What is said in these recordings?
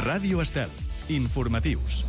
Ràdio Estel. Informatius.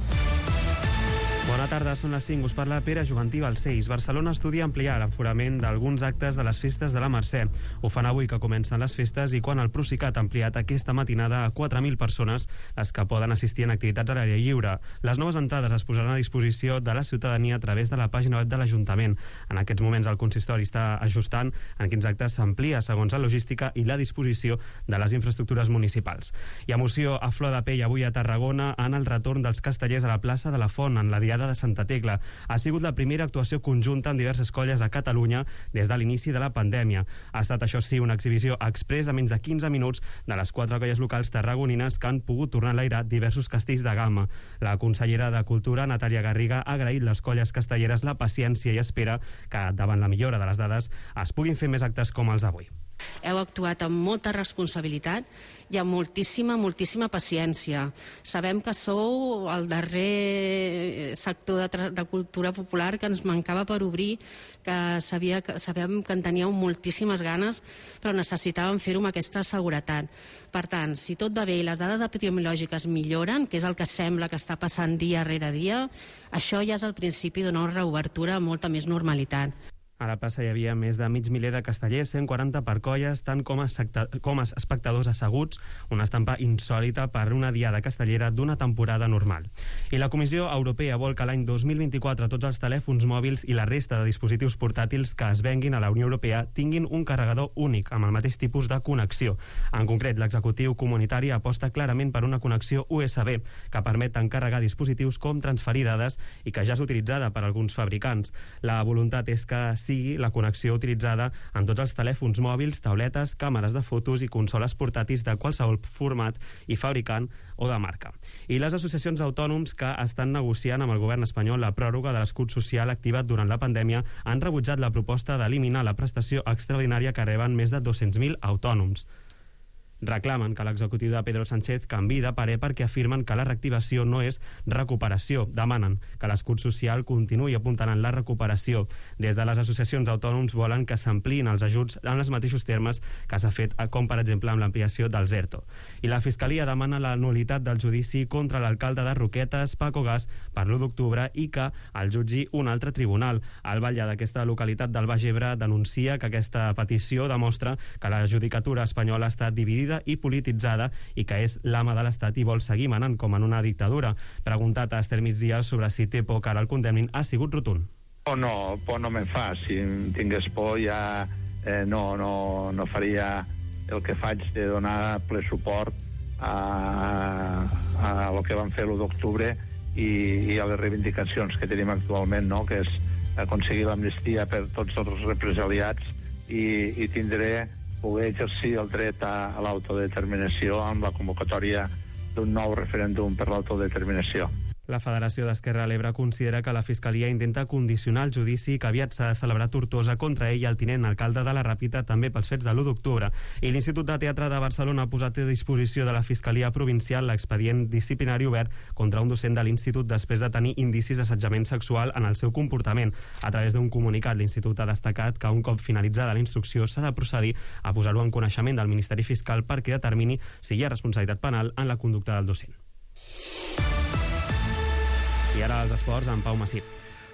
Bona tarda, són les 5. Us parla Pere Juventí Balcells. Barcelona estudia ampliar l'aforament d'alguns actes de les festes de la Mercè. Ho fan avui que comencen les festes i quan el Procicat ha ampliat aquesta matinada a 4.000 persones les que poden assistir en activitats a l'aire lliure. Les noves entrades es posaran a disposició de la ciutadania a través de la pàgina web de l'Ajuntament. En aquests moments el consistori està ajustant en quins actes s'amplia segons la logística i la disposició de les infraestructures municipals. Hi ha emoció a flor de pell avui a Tarragona en el retorn dels castellers a la plaça de la Font en la Diada de Santa Tecla. Ha sigut la primera actuació conjunta en diverses colles a Catalunya des de l'inici de la pandèmia. Ha estat, això sí, una exhibició exprés de menys de 15 minuts de les 4 colles locals tarragonines que han pogut tornar a enlairar diversos castells de gamma. La consellera de Cultura, Natàlia Garriga, ha agraït les colles castelleres la paciència i espera que, davant la millora de les dades, es puguin fer més actes com els d'avui. Heu actuat amb molta responsabilitat i amb moltíssima paciència. Sabem que sou el darrer sector de cultura popular que ens mancava per obrir, que sabem que en teníeu moltíssimes ganes, però necessitàvem fer-ho amb aquesta seguretat. Per tant, si tot va bé i les dades epidemiològiques milloren, que és el que sembla que està passant dia rere dia, això ja és el principi d'una reobertura amb molta més normalitat. A la plaça hi havia més de mig miler de castellers, 140 per colles, tant com espectadors asseguts, una estampa insòlita per una diada castellera d'una temporada normal. I la Comissió Europea vol que l'any 2024 tots els telèfons mòbils i la resta de dispositius portàtils que es venguin a la Unió Europea tinguin un carregador únic amb el mateix tipus de connexió. En concret, l'executiu comunitari aposta clarament per una connexió USB que permet tant carregar dispositius com transferir dades i que ja és utilitzada per alguns fabricants. La voluntat és que sigui la connexió utilitzada en tots els telèfons mòbils, tauletes, càmeres de fotos i consoles portàtils de qualsevol format i fabricant o de marca. I les associacions d'autònoms que estan negociant amb el govern espanyol la pròrroga de l'escut social activat durant la pandèmia han rebutjat la proposta d'eliminar la prestació extraordinària que reben més de 200.000 autònoms. Reclamen que l'executiu de Pedro Sánchez canviï de parer perquè afirmen que la reactivació no és recuperació. Demanen que l'escut social continuï apuntant la recuperació. Des de les associacions d'autònoms volen que s'ampliïn els ajuts en els mateixos termes que s'ha fet, com per exemple amb l'ampliació dels ERTO. I la Fiscalia demana la nul·litat del judici contra l'alcalde de Roquetes, Paco Gas, per l'1 d'octubre i que el jutgi un altre tribunal. El batlle d'aquesta localitat del Baix Ebre denuncia que aquesta petició demostra que la judicatura espanyola està dividida i polititzada i que és l'ama de l'Estat i vol seguir manant com en una dictadura. Preguntat a Estel Migdia sobre si té por que ara el condemnin, ha sigut rotund. Por no me'n fa. Si tingués por ja no faria el que faig de donar ple suport a el que van fer l'1 d'octubre i a les reivindicacions que tenim actualment, no? Que és aconseguir l'amnistia per tots els represaliats i tindré poder exercir el dret a l'autodeterminació amb la convocatòria d'un nou referèndum per l'autodeterminació. La Federació d'Esquerra a l'Ebre considera que la Fiscalia intenta condicionar el judici que aviat s'ha de celebrar a Tortosa contra ell i el tinent alcalde de la Ràpita també pels fets de l'1 d'octubre. I l'Institut de Teatre de Barcelona ha posat a disposició de la Fiscalia Provincial l'expedient disciplinari obert contra un docent de l'Institut després de tenir indicis d'assetjament sexual en el seu comportament. A través d'un comunicat, l'Institut ha destacat que un cop finalitzada la instrucció s'ha de procedir a posar-ho en coneixement del Ministeri Fiscal perquè determini si hi ha responsabilitat penal en la conducta del docent. I ara els esports amb Pau Massip.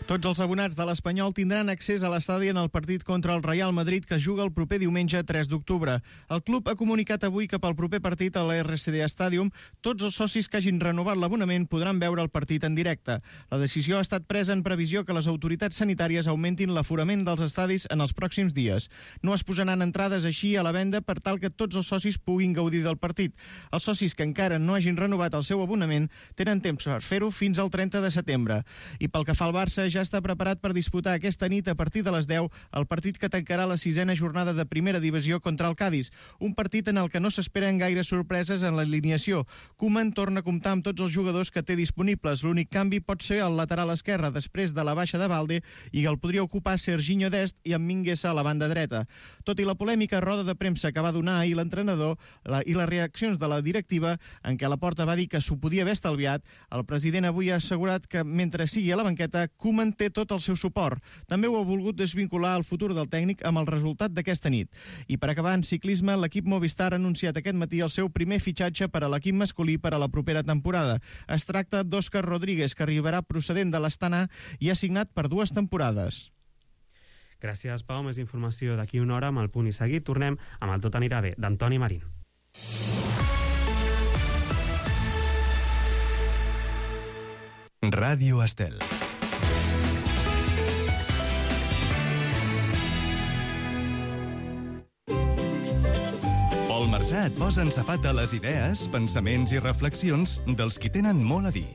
Tots els abonats de l'Espanyol tindran accés a l'estadi en el partit contra el Real Madrid que juga el proper diumenge 3 d'octubre. El club ha comunicat avui que pel proper partit a l'RCD Stadium tots els socis que hagin renovat l'abonament podran veure el partit en directe. La decisió ha estat presa en previsió que les autoritats sanitàries augmentin l'aforament dels estadis en els pròxims dies. No es posaran entrades així a la venda per tal que tots els socis puguin gaudir del partit. Els socis que encara no hagin renovat el seu abonament tenen temps per fer-ho fins al 30 de setembre. I pel que fa al Barça, ja està preparat per disputar aquesta nit a partir de les 10 el partit que tancarà la 6a jornada de primera divisió contra el Cádiz, un partit en el que no s'esperen gaires sorpreses en l'alineació. Koeman torna a comptar amb tots els jugadors que té disponibles. L'únic canvi pot ser el lateral esquerre després de la baixa de Balde i el podria ocupar Serginho Dest i amb Mingueza a la banda dreta. Tot i la polèmica roda de premsa que va donar ahir l'entrenador i les reaccions de la directiva en què Laporta va dir que s'ho podia haver estalviat, el president avui ha assegurat que mentre sigui a la banqueta, Koeman Koeman té tot el seu suport. També ho ha volgut desvincular el futur del tècnic amb el resultat d'aquesta nit. I per acabar, en ciclisme, l'equip Movistar ha anunciat aquest matí el seu primer fitxatge per a l'equip masculí per a la propera temporada. Es tracta d'Òscar Rodríguez, que arribarà procedent de l'Astana i ha signat per 2 temporades. Gràcies, Pau. Més informació d'aquí una hora amb el Punt i Seguit. Tornem amb el Tot anirà bé, d'Antoni Marín. Ràdio Estel. Pol Marsà et posa en safata les idees, pensaments i reflexions dels qui tenen molt a dir.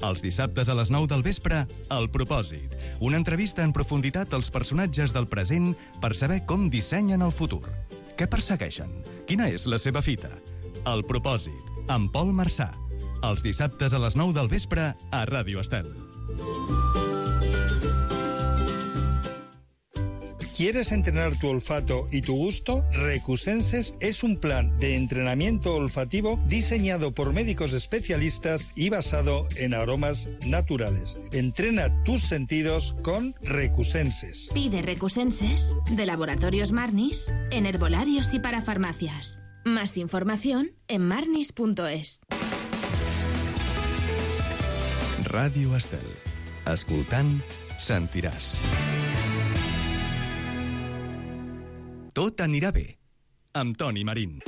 Els dissabtes a les 9 del vespre, El Propòsit. Una entrevista en profunditat als personatges del present per saber com dissenyen el futur. Què persegueixen? Quina és la seva fita? El Propòsit, amb Pol Marsà. Els dissabtes a les 9 del vespre a Ràdio Estel. ¿Quieres entrenar tu olfato y tu gusto? Recusenses es un plan de entrenamiento olfativo diseñado por médicos especialistas y basado en aromas naturales. Entrena tus sentidos con Recusenses. Pide Recusenses de Laboratorios Marnis en herbolarios y para farmacias. Más información en marnis.es. Ràdio Estel. Escoltant, sentiràs. Tot anirà bé, amb Toni Marín.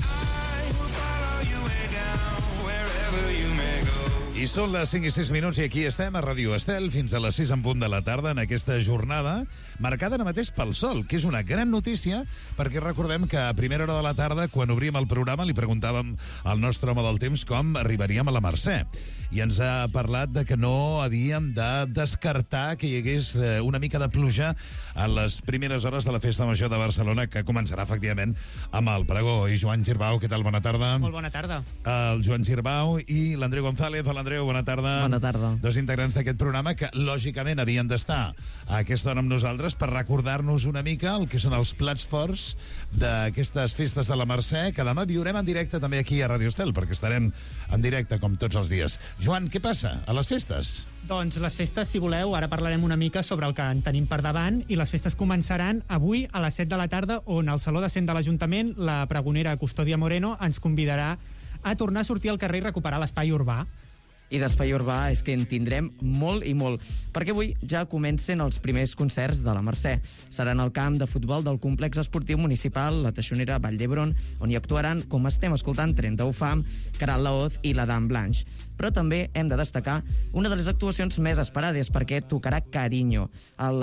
I són les 5 i 6 minuts i aquí estem a Ràdio Estel fins a les 6 en punt de la tarda en aquesta jornada marcada ara mateix pel sol, que és una gran notícia perquè recordem que a primera hora de la tarda, quan obríem el programa, li preguntàvem al nostre home del temps com arribaríem a la Mercè. I ens ha parlat de que no havíem de descartar que hi hagués una mica de pluja a les primeres hores de la Festa Major de Barcelona, que començarà efectivament amb el pregó. I Joan Girbau, què tal? Bona tarda. Molt bona tarda. El Joan Girbau i l'Andreu González. Hola, Andreu, bona tarda. Bona tarda. Dos integrants d'aquest programa que, lògicament, havien d'estar a aquesta hora amb nosaltres per recordar-nos una mica el que són els plats forts d'aquestes festes de la Mercè, que demà viurem en directe també aquí a Ràdio Estel, perquè estarem en directe com tots els dies. Joan, què passa a les festes? Doncs les festes, si voleu, ara parlarem una mica sobre el que en tenim per davant, i les festes començaran avui a les 7 de la tarda, on al Saló de Cent de l'Ajuntament la pregonera Custòdia Moreno ens convidarà a tornar a sortir al carrer i recuperar l'espai urbà. I d'espai urbà és que en tindrem molt i molt, perquè avui ja comencen els primers concerts de la Mercè. Seran al camp de futbol del complex esportiu municipal La Teixonera Vall d'Hebron, on hi actuaran, com estem escoltant, 31 Fam, Caral Laoz i la Dame Blanche. Però també hem de destacar una de les actuacions més esperades, perquè tocarà Carinyo,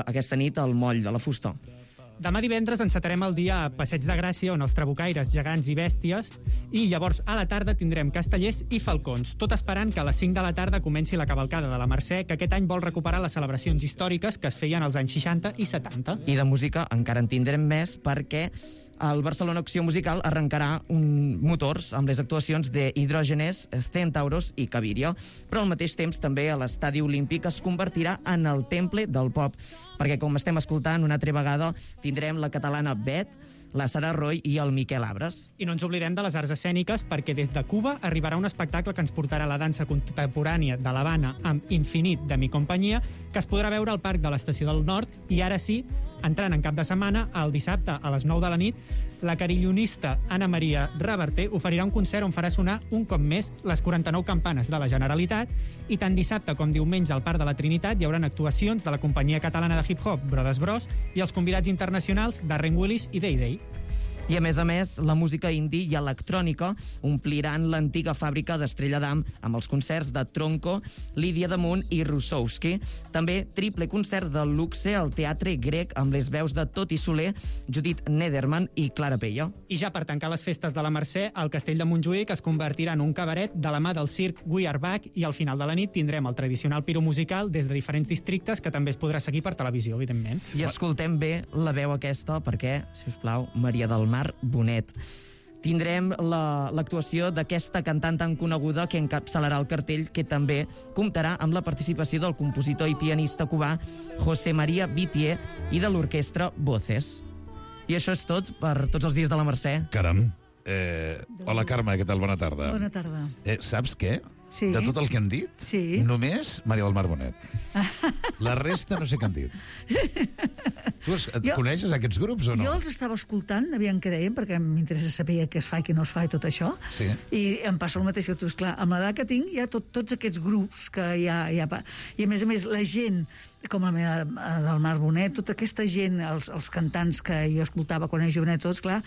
aquesta nit al Moll de la Fusta. Demà divendres encetarem el dia a Passeig de Gràcia, on els trabucaires, gegants i bèsties, i llavors a la tarda tindrem castellers i falcons, tot esperant que a les 5 de la tarda comenci la cavalcada de la Mercè, que aquest any vol recuperar les celebracions històriques que es feien als anys 60 i 70. I de música encara en tindrem més, perquè el Barcelona Acció Musical arrencarà motors amb les actuacions de Hidrògenes, Centauros i Cavirio, però al mateix temps també a l'Estadi Olímpic es convertirà en el temple del pop, perquè com estem escoltant una altra vegada tindrem la catalana Bet, la Sara Roy i el Miquel Abres. I no ens oblidem de les arts escèniques, perquè des de Cuba arribarà un espectacle que ens portarà la dansa contemporània de l'Havana amb Infinit de Mi Companyia, que es podrà veure al Parc de l'Estació del Nord, i ara sí, entrant en cap de setmana, el dissabte a les 9 de la nit, la carillonista Anna Maria Reverter oferirà un concert on farà sonar un cop més les 49 campanes de la Generalitat, i tant dissabte com diumenge al Parc de la Trinitat hi haurà actuacions de la companyia catalana de hip-hop Brothers Bros i els convidats internacionals Darren Willis i Day Day. I a més, la música indie i electrònica ompliran l'antiga fàbrica d'Estrella d'Am amb els concerts de Tronco, Lídia Damunt i Russowski. També triple concert de luxe al Teatre Grec amb les veus de Toti Soler, Judit Nederman i Clara Pello. I ja per tancar les festes de la Mercè, el Castell de Montjuïc es convertirà en un cabaret de la mà del circ We Are Back, i al final de la nit tindrem el tradicional piro musical des de diferents districtes, que també es podrà seguir per televisió, evidentment. I escoltem bé la veu aquesta perquè, si us plau, Maria del Mar Bonet. Tindrem l'actuació d'aquesta cantant tan coneguda que encapçalarà el cartell, que també comptarà amb la participació del compositor i pianista cubà José María Vitier i de l'orquestra Voces. I això és tot per tots els dies de la Mercè. Caram. Hola, Carme, què tal? Bona tarda. Bona tarda. Saps què? Sí. De tot el que han dit, Sí. només Maria del Mar Bonet. La resta no sé què han dit. Tu coneixes aquests grups o no? Jo els estava escoltant, aviam què deien, perquè m'interessa saber què es fa i què no es fa i tot això. Sí. I em passa el mateix que tu, esclar, amb l'edat que tinc hi ha tots aquests grups que hi ha... I a més, la gent, com la meva del Mar Bonet, tota aquesta gent, els cantants que jo escoltava quan era jovenet, tots, clar,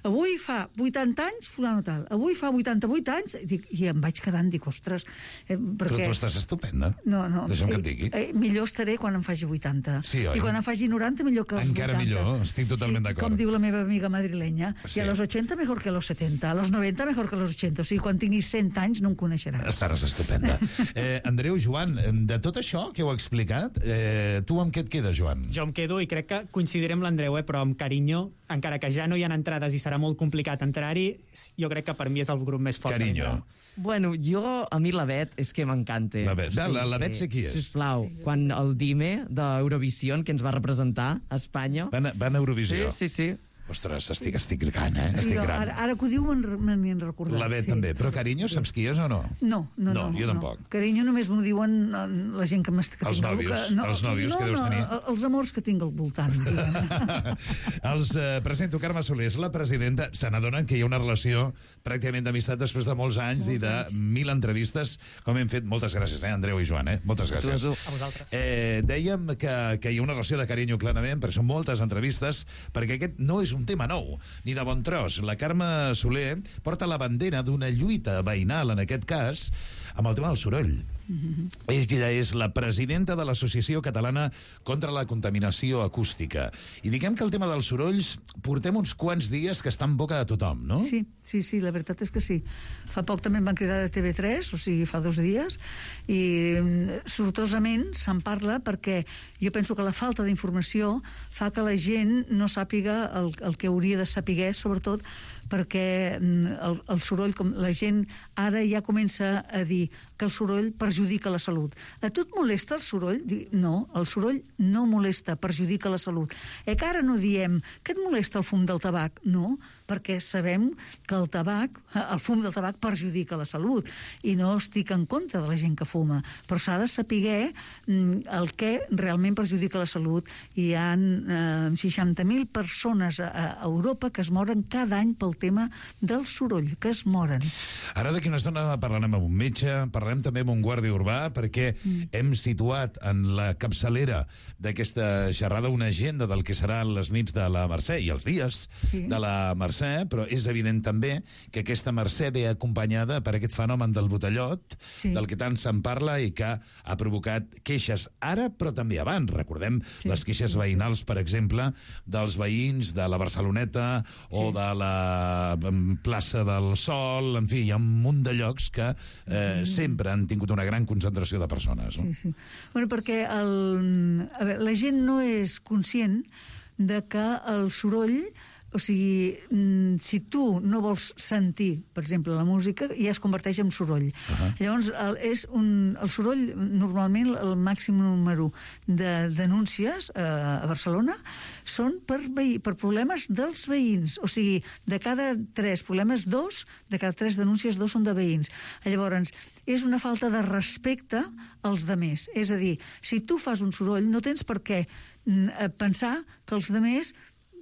avui fa 80 anys, fulano tal. Avui fa 88 anys, i em vaig quedant, dic, ostres... Però tu estàs estupenda. No. Deixa'm que et digui. Millor estaré quan em faci 80. Sí, oi? I quan em faci 90, millor que els 80. Encara millor, estic totalment d'acord. Com diu la meva amiga madrilenya, Sí. i a los 80 mejor que a los 70, a los 90 mejor que a los 80. O sigui, quan tinguis 100 anys no em coneixeràs. Estaràs estupenda. Andreu, Joan, de tot això que heu explicat, tu amb què et quedes, Joan? Jo em quedo, i crec que coincidiré amb l'Andreu, però amb carinyo, encara que ja no hi ha entrades i serà molt complicat entrar-hi, jo crec que per mi és el grup més fort. Carinyo. Bueno, a mi la Bet és que m'encanta. La Bet, la Bet sé qui és. Sisplau, quan el Dime d'Eurovisió, que ens va representar a Espanya... Van a Eurovisió? Sí. Ostres, estic gran, Sí, estic gran. Ara que ho diu m'hi han recordat. La Bet també. Però Carinyo, saps qui és o no? No, jo tampoc. Carinyo només m'ho diuen la gent que tinc Els nòvios que deus tenir. Els amors que tinc al voltant. Els presento Carme Soler, és la presidenta. Se n'adonen que hi ha una relació pràcticament d'amistat després de molts anys i de 1.000 entrevistes, com hem fet. Moltes gràcies, Andreu i Joan, moltes gràcies. A vosaltres. Dèiem que hi ha una relació de carinyo, clarament, perquè són moltes entrevistes, perquè aquest no és un tema nou, ni de bon tros. La Carme Soler porta la bandera d'una lluita veïnal, en aquest cas, amb el tema del soroll. Ella és la presidenta de l'Associació Catalana contra la Contaminació Acústica. I diguem que el tema dels sorolls portem uns quants dies que està en boca de tothom, no? Sí, la veritat és que sí. Fa poc també em van cridar de TV3, o sigui, fa 2 dies, i sortosament se'n parla perquè jo penso que la falta d'informació fa que la gent no sàpiga el que hauria de saber, sobretot perquè el soroll, com la gent ara ja comença a dir que el soroll perjudica la salut. A tu et molesta el soroll? No, el soroll no molesta, perjudica la salut. Que ara no diem que et molesta el fum del tabac? No, perquè sabem que el fum del tabac perjudica la salut i no estic en contra de la gent que fuma, però s'ha de saber el que realment perjudica la salut. Hi ha 60.000 persones a Europa que es moren cada any pel tema del soroll, que es moren. Ara d'aquí una estona parlarem amb un metge, parlarem també amb un guàrdia urbà, perquè hem situat en la capçalera d'aquesta xerrada una agenda del que seran les nits de la Mercè i els dies de la Mercè, però és evident també que aquesta Mercè ve acompanyada per aquest fenomen del botellot, del que tant se'n parla i que ha provocat queixes ara, però també abans. Recordem les queixes veïnals, per exemple, dels veïns de la Barceloneta o de la plaça del Sol, en fi, hi ha un munt de llocs que sempre han tingut una gran concentració de persones. No? Sí. Bueno, perquè la gent no és conscient de que el soroll, o sigui, si tu no vols sentir, per exemple, la música, ja es converteix en soroll. Llavors, el soroll, normalment, el màxim número de denúncies a Barcelona són per problemes dels veïns. O sigui, de cada 3 problemes, 2, de cada 3 denúncies, 2 són de veïns. Llavors, és una falta de respecte als demés. És a dir, si tu fas un soroll, no tens per què pensar que els demés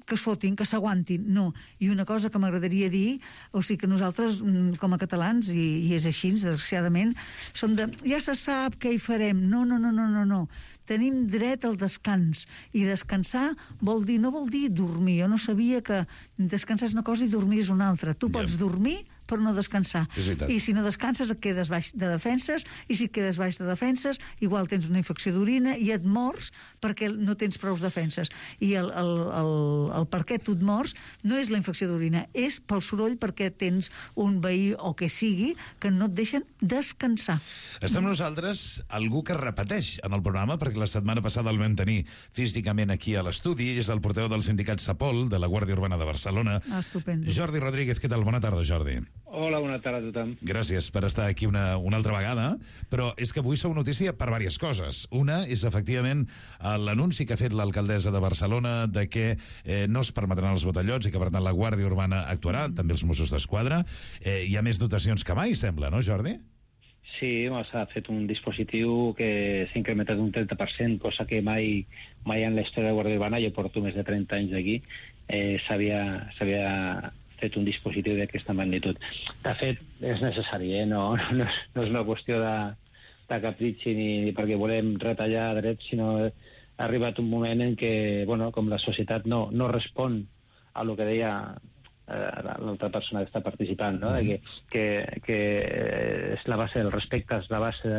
que es fotin, que s'aguantin, no. I una cosa que m'agradaria dir, o sigui que nosaltres, com a catalans, i és així, desgraciadament, som de, ja se sap què hi farem. No. Tenim dret al descans, i descansar no vol dir dormir. Jo no sabia que descansar és una cosa i dormir és una altra. Tu pots dormir per no descansar. I si no descanses et quedes baix de defenses, i si et quedes baix de defenses igual tens una infecció d'orina i et mors perquè no tens prou defenses. I el per què tu et mors no és la infecció d'orina, és pel soroll, perquè tens un veí o que sigui que no et deixen descansar. Està amb nosaltres algú que repeteix en el programa, perquè la setmana passada el vam tenir físicament aquí a l'estudi. És el portaveu del sindicat Sapol, de la Guàrdia Urbana de Barcelona. Estupendo. Jordi Rodríguez, què tal? Bona tarda, Jordi. Hola, bona tarda a tothom. Gràcies per estar aquí una altra vegada, però és que avui sou notícia per diverses coses. Una és, efectivament, l'anunci que ha fet l'alcaldessa de Barcelona de que no es permetran els botellots i que, per tant, la Guàrdia Urbana actuarà, també els Mossos d'Esquadra. Hi ha més dotacions que mai, sembla, no, Jordi? Sí, s'ha fet un dispositiu que s'ha incrementat un 30%, cosa que mai en la història de Guàrdia Urbana, jo porto més de 30 anys aquí, s'havia fet un dispositiu d'aquesta magnitud. De fet, és necessari, no és una qüestió de capritxi ni perquè volem retallar drets, sinó ha arribat un moment en què, com la societat no respon a lo que deia l'altra persona que està participant, no? que és la base del respecte, és la base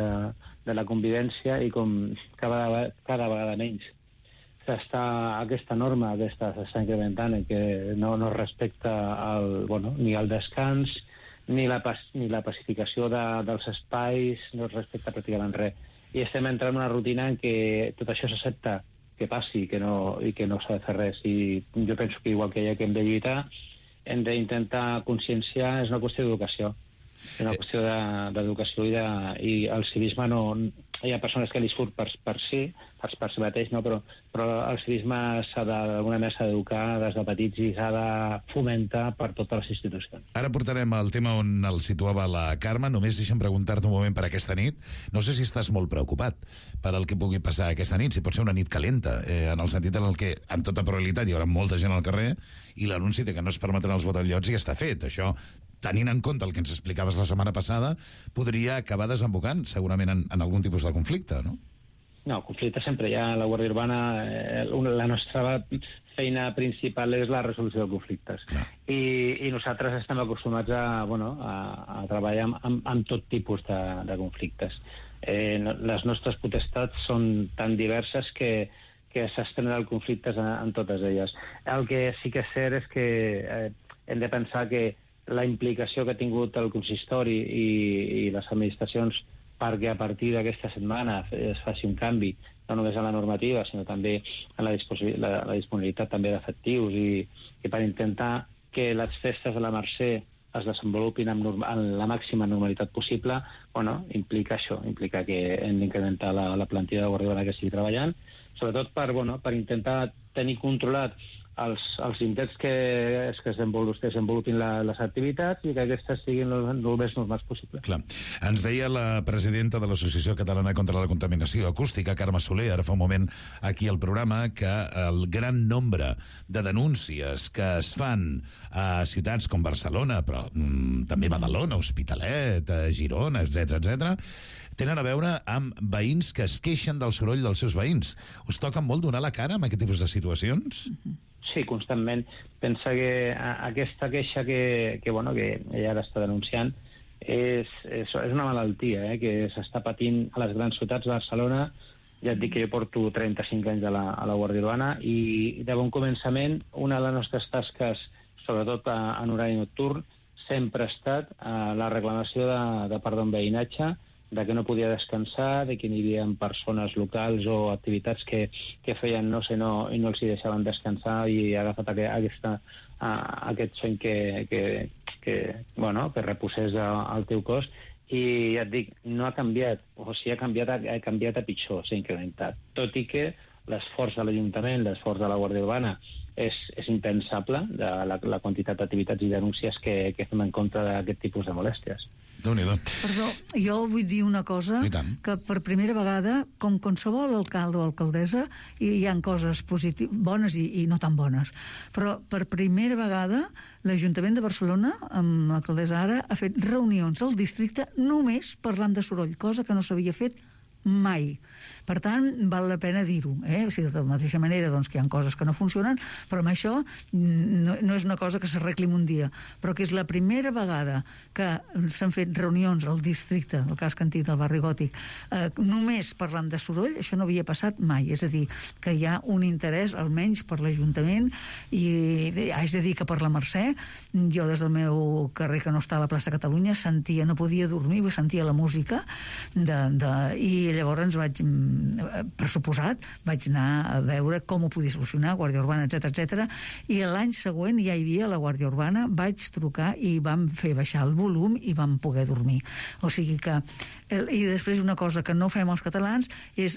de la convivència, i com cada vegada menys aquesta norma s'està incrementant, en què no es respecta ni el descans ni la pacificació dels espais, no es respecta pràcticament res. I estem entrant en una rutina en què tot això s'accepta que passi i que no s'ha de fer res. I jo penso que igual que hem de lluitar, hem d'intentar conscienciar, és una qüestió d'educació. És una qüestió d'educació i el civisme no... Hi ha persones que li surt per si mateix, no? Però el civisme d'alguna manera s'ha d'educar des de petits i s'ha de fomentar per totes les institucions. Ara portarem el tema on el situava la Carme. Només deixa'm preguntar-te un moment per aquesta nit. No sé si estàs molt preocupat per el que pugui passar aquesta nit, si pot ser una nit calenta, en el sentit en el que, amb tota probabilitat, hi haurà molta gent al carrer i l'anunci de que no es permetran els botellots ja està fet. Això, tenint en compte el que ens explicaves la setmana passada, podria acabar desembocant segurament en algun tipus de conflicte, no? No, conflicte sempre hi ha. A la Guàrdia Urbana la nostra feina principal és la resolució de conflictes. I nosaltres estem acostumats a treballar amb tot tipus de conflictes. Les nostres potestats són tan diverses que s'estrenen conflictes en totes elles. El que sí que és cert és que hem de pensar que la implicació que ha tingut el consistori i les administracions perquè a partir d'aquesta setmana es faci un canvi, no només en la normativa, sinó també en la disponibilitat també d'efectius i per intentar que les festes de la Mercè es desenvolupin en la màxima normalitat possible, implica això, implica que hem d'incrementar la plantilla de Guàrdia Urbana que estigui treballant, sobretot per intentar tenir controlat els intents que es desenvolupin les activitats i que aquestes siguin el més normals possible. Clar. Ens deia la presidenta de l'Associació Catalana contra la Contaminació Acústica, Carme Soler, ara fa un moment aquí al programa, que el gran nombre de denúncies que es fan a ciutats com Barcelona, però també Badalona, Hospitalet, Girona, etc., tenen a veure amb veïns que es queixen del soroll dels seus veïns. Us toca molt donar la cara amb aquest tipus de situacions? Sí, constantment. Pensa que aquesta queixa que ella ara està denunciant és una malaltia que s'està patint a les grans ciutats de Barcelona. Ja et dic que jo porto 35 anys a la Guàrdia Urbana i de bon començament una de les nostres tasques, sobretot en horari nocturn, sempre ha estat la reclamació de part d'un veïnatge, de que no podia descansar, de que hi havia persones locals o activitats que feien no sé no i no els hi deixaven descansar i ha agafat aquest son que reposés al teu cos. I ja et dic, no ha canviat, o si ha canviat a pitjor, s'ha incrementat. Tot i que l'esforç de l'Ajuntament, l'esforç de la Guàrdia Urbana és impensable, de la quantitat d'activitats i denúncies que fem en contra d'aquest tipus de molèsties. Perdó, jo vull dir una cosa, que per primera vegada, com qualsevol alcalde o alcaldessa, hi ha coses bones i no tan bones, però per primera vegada l'Ajuntament de Barcelona, amb l'alcaldessa ara, ha fet reunions al districte només parlant de soroll, cosa que no s'havia fet mai. Per tant, val la pena dir-ho. O sigui, de la mateixa manera que hi ha coses que no funcionen, però amb això no és una cosa que s'arregli en un dia, però que és la primera vegada que s'han fet reunions al districte, el cas Cantí del barri Gòtic, només parlant de soroll. Això no havia passat mai. És a dir, que hi ha un interès, almenys per l'Ajuntament, i haig de dir que per la Mercè, jo des del meu carrer, que no està a la plaça Catalunya, no podia dormir, sentia la música, i llavors per suposat, vaig anar a veure com ho podia solucionar, Guàrdia Urbana, etc. I l'any següent ja hi havia la Guàrdia Urbana, vaig trucar i vam fer baixar el volum i vam poder dormir. O sigui que I després una cosa que no fem els catalans és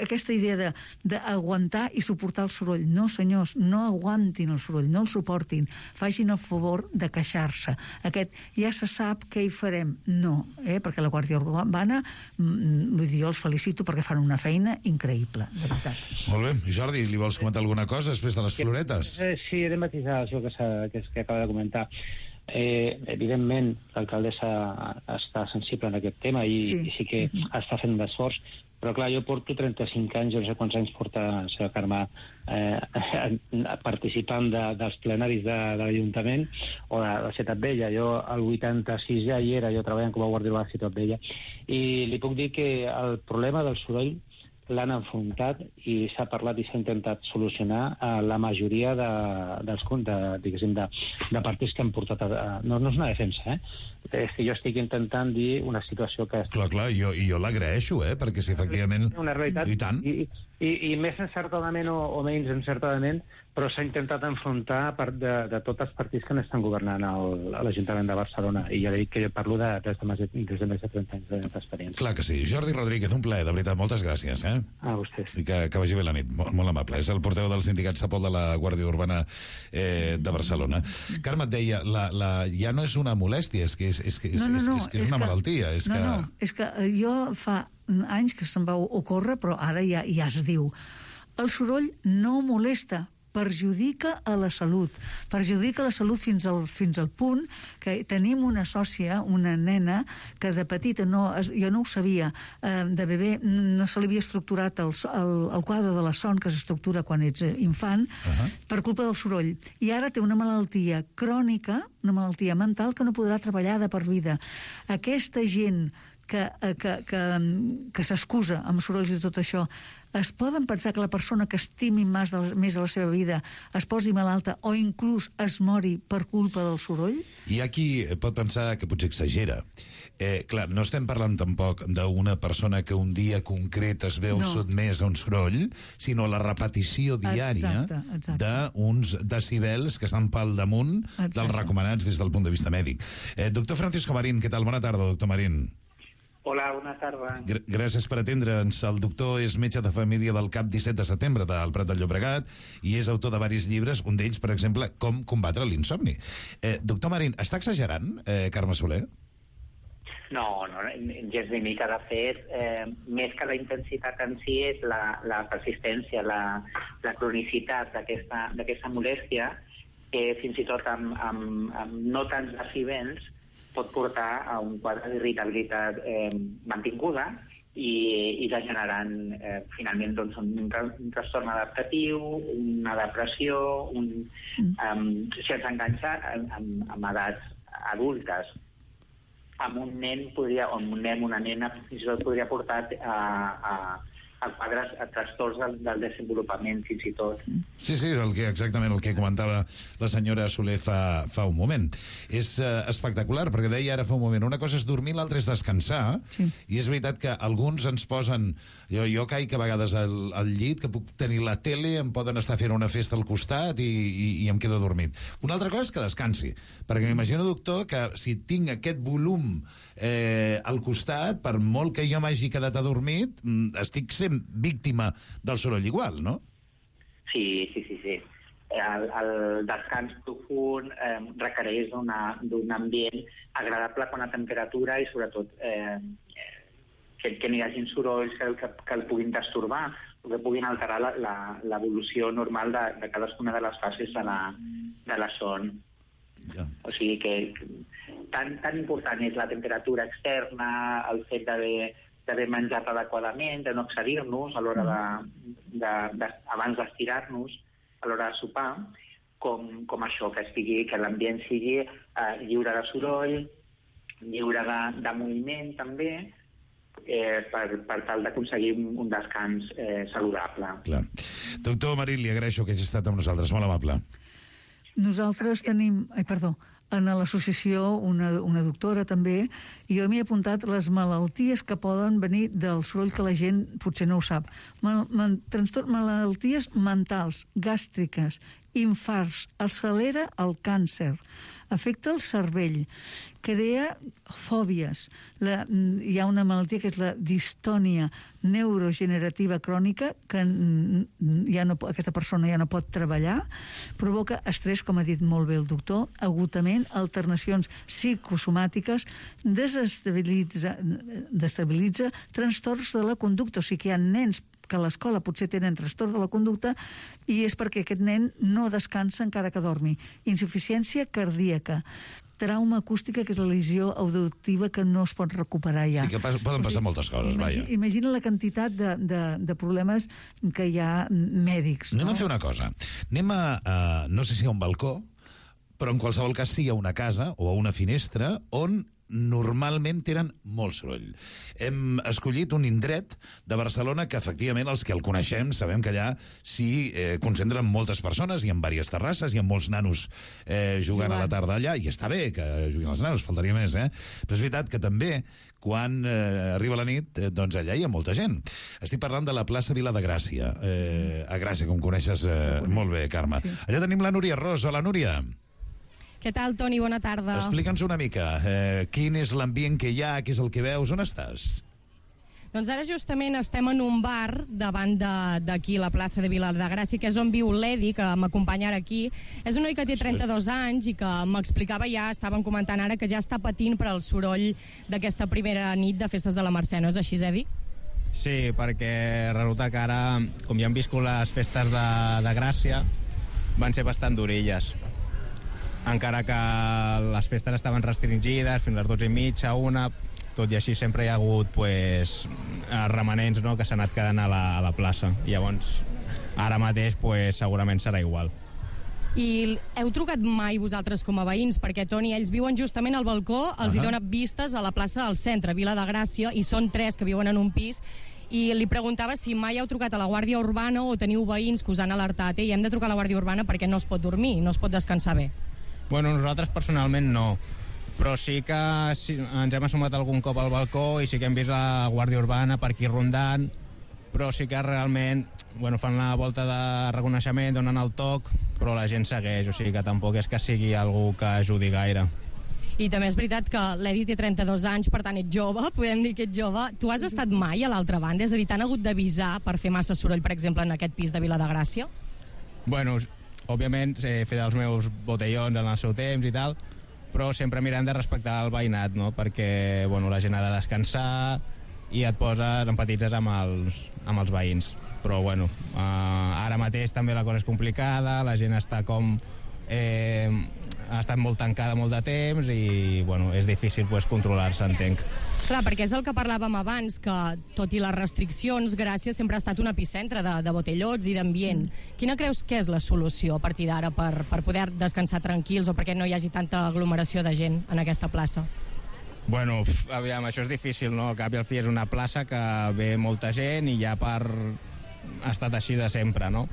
aquesta idea d'aguantar i suportar el soroll. No, senyors, no aguantin el soroll, no el suportin, facin el favor de queixar-se. Aquest ja se sap què hi farem. No, perquè la Guàrdia Urbana, vull dir, jo els felicito perquè fan una feina increïble, de veritat. Molt bé. Jordi, li vols comentar alguna cosa després de les floretes? Sí, he de matisar això que acaba de comentar. Evidentment, l'alcaldessa està sensible en aquest tema i sí que està fent un esforç, però clar, jo porto 35 anys, jo no sé quants anys porta la seva Carme participant dels plenaris de l'Ajuntament o de la Ciutat Vella. Jo al 86 ja hi era, jo treballant com a guàrdia urbana a Ciutat Vella, i li puc dir que el problema del soroll l'han enfrontat i s'ha parlat i s'ha intentat solucionar a la majoria de partits que han portat... No és una defensa, és que jo estic intentant dir una situació que... Clar, jo l'agraeixo, perquè si efectivament... Una realitat, i tant. I més encertadament o menys encertadament, però s'ha intentat enfrontar de tots els partits que n'estan governant a l'Ajuntament de Barcelona, i ja dic que jo parlo des de més de 30 anys d'experiència. Clar que sí. Jordi Rodríguez, un plaer, de veritat, moltes gràcies. A vostès. I que vagi bé la nit, molt amable. És el portaveu del sindicat Sapol de la Guàrdia Urbana de Barcelona. Carme et deia, ja no és una molèstia, és que és una malaltia. És que jo fa anys que se'm va ocórrer, però ara ja es diu. El soroll no molesta, perjudica a la salut. Perjudica la salut fins al punt que tenim una sòcia, una nena, que de petita, jo no ho sabia, de bebè no se li havia estructurat el quadre de la son que s'estructura quan ets infant, per culpa del soroll. I ara té una malaltia crònica, una malaltia mental, que no podrà treballar de per vida. Aquesta gent que s'excusa amb sorolls i tot això, es poden pensar que la persona que estimi més a la seva vida es posi malalta o inclús es mori per culpa del soroll? Hi ha qui pot pensar que potser exagera. Clar, no estem parlant tampoc d'una persona que un dia concret es veu sotmès a un soroll, sinó la repetició diària d'uns decibels que estan pel damunt dels recomanats des del punt de vista mèdic. Doctor Francisco Marín, què tal? Bona tarda, doctor Marín. Hola, bona tarda. Gràcies per atendre'ns. El doctor és metge de família del CAP 17 de setembre del Prat de Llobregat i és autor de diversos llibres, un d'ells, per exemple, Com combatre l'insomni. Doctor Marín, està exagerant, Carme Soler? No, gens ni mica. De fet, més que la intensitat en si és la persistència, la cronicitat d'aquesta molèstia, que fins i tot amb no tants decibels pot portar a un quadre d'irritabilitat mantinguda i degenerant finalment un trastorn adaptatiu, una depressió, si ens enganxa amb edats adultes. Amb un nen una nena fins i tot podria portar a quadres, a trastorns del desenvolupament fins i tot. Sí, exactament el que comentava la senyora Soler fa un moment. És espectacular, perquè deia ara fa un moment, una cosa és dormir, l'altra és descansar, i és veritat que alguns ens posen... Jo caic a vegades al llit, que puc tenir la tele, em poden estar fent una festa al costat i em quedo dormit. Una altra cosa és que descansi, perquè m'imagino, doctor, que si tinc aquest volum al costat, per molt que jo m'hagi quedat adormit, estic sent víctima del soroll igual, no? Sí. El descans profund requereix d'un ambient agradable quan la temperatura i sobretot que n'hi hagi sorolls que el puguin destorbar o que puguin alterar l'evolució normal de cadascuna de les fases de la son. O sigui que tan important és la temperatura externa, el fet d'haver menjat adequadament, de no excedir-nos a l'hora abans d'estirar-nos, a l'hora de sopar, com això, que l'ambient sigui lliure de soroll, lliure de moviment també, per tal d'aconseguir un descans saludable. Clar. Doctor Marín, li agraeixo que hagi estat amb nosaltres, molt amable. Nosaltres tenim... en l'associació una doctora també, i jo m'hi he apuntat les malalties que poden venir del soroll, que la gent potser no ho sap. Malalties mentals, gàstriques, infarts, accelera el càncer, afecta el cervell, crea fòbies. Hi ha una malaltia que és la distònia neurogenerativa crònica, que aquesta persona ja no pot treballar, provoca estrès, com ha dit molt bé el doctor, agotament, alternacions psicosomàtiques, desestabilitza trastorns de la conducta. O sigui que hi ha nens que a l'escola potser tenen trastorn de la conducta i és perquè aquest nen no descansa encara que dormi. Insuficiència cardíaca, trauma acústica, que és la lesió auditiva que no es pot recuperar ja. Sí, que poden passar moltes coses, vaja. Imagina la quantitat de problemes que hi ha mèdics. Anem a fer una cosa. Anem a no sé si a un balcó, però en qualsevol cas sí a una casa o a una finestra on normalment tenen molt soroll. Hem escollit un indret de Barcelona que, efectivament, els que el coneixem sabem que allà s'hi concentren moltes persones, hi ha diverses terrasses, hi ha molts nanos jugant a la tarda allà, i està bé que juguin els nanos, faltaria més, Però és veritat que també, quan arriba la nit, doncs allà hi ha molta gent. Estic parlant de la plaça Vila de Gràcia, a Gràcia, com coneixes molt bé, Carme. Allà tenim la Núria Ros. Hola, Núria. Què tal, Toni? Bona tarda. Explica'ns una mica, quin és l'ambient que hi ha, què és el que veus, on estàs? Doncs ara justament estem en un bar davant d'aquí, la plaça de Vila de Gràcia, que és on viu l'Edi, que m'acompanya ara aquí. És un noi que té 32 anys i que m'explicava ja, estaven comentant ara, que ja està patint per al soroll d'aquesta primera nit de festes de la Mercè. No és així, Edi? Sí, perquè resulta que ara, com ja han viscut les festes de Gràcia, van ser bastant durilles. Encara que les festes estaven restringides fins a les 12:30, 1, tot i així sempre hi ha hagut remanents, no?, que s'han anat quedant a la plaça. Llavors, ara mateix segurament serà igual. I heu trucat mai vosaltres com a veïns? Perquè, Toni, ells viuen justament al balcó, els hi dona vistes a la plaça del centre, Vila de Gràcia, i són 3 que viuen en un pis, i li preguntava si mai heu trucat a la Guàrdia Urbana o teniu veïns que us han alertat, i hem de trucar a la Guàrdia Urbana perquè no es pot dormir, no es pot descansar bé. Bueno, nosaltres personalment no, però sí que ens hem assomat algun cop al balcó i sí que hem vist la Guàrdia Urbana per aquí rondant, però sí que realment fan la volta de reconeixement, donen el toc, però la gent segueix, o sigui que tampoc és que sigui algú que ajudi gaire. I també és veritat que l'Edi té 32 anys, per tant ets jove, podem dir que ets jove. Tu has estat mai a l'altra banda? És a dir, t'han hagut d'avisar per fer massa soroll, per exemple, en aquest pis de Vila de Gràcia? Bueno, òbviament he fet els meus botellons en el seu temps i tal, però sempre mirem de respectar el veïnat, no? Perquè la gent ha de descansar i et poses, empatitzes amb els veïns. Però ara mateix també la cosa és complicada, la gent està ha estat molt tancada molt de temps i és difícil controlar-se, entenc. Clar, perquè és el que parlàvem abans, que tot i les restriccions, Gràcia sempre ha estat un epicentre de botellots i d'ambient. Quina creus que és la solució a partir d'ara per poder descansar tranquils o perquè no hi hagi tanta aglomeració de gent en aquesta plaça? Aviam, això és difícil, no? Al cap i al fi és una plaça que ve molta gent i ja ha estat així de sempre, no?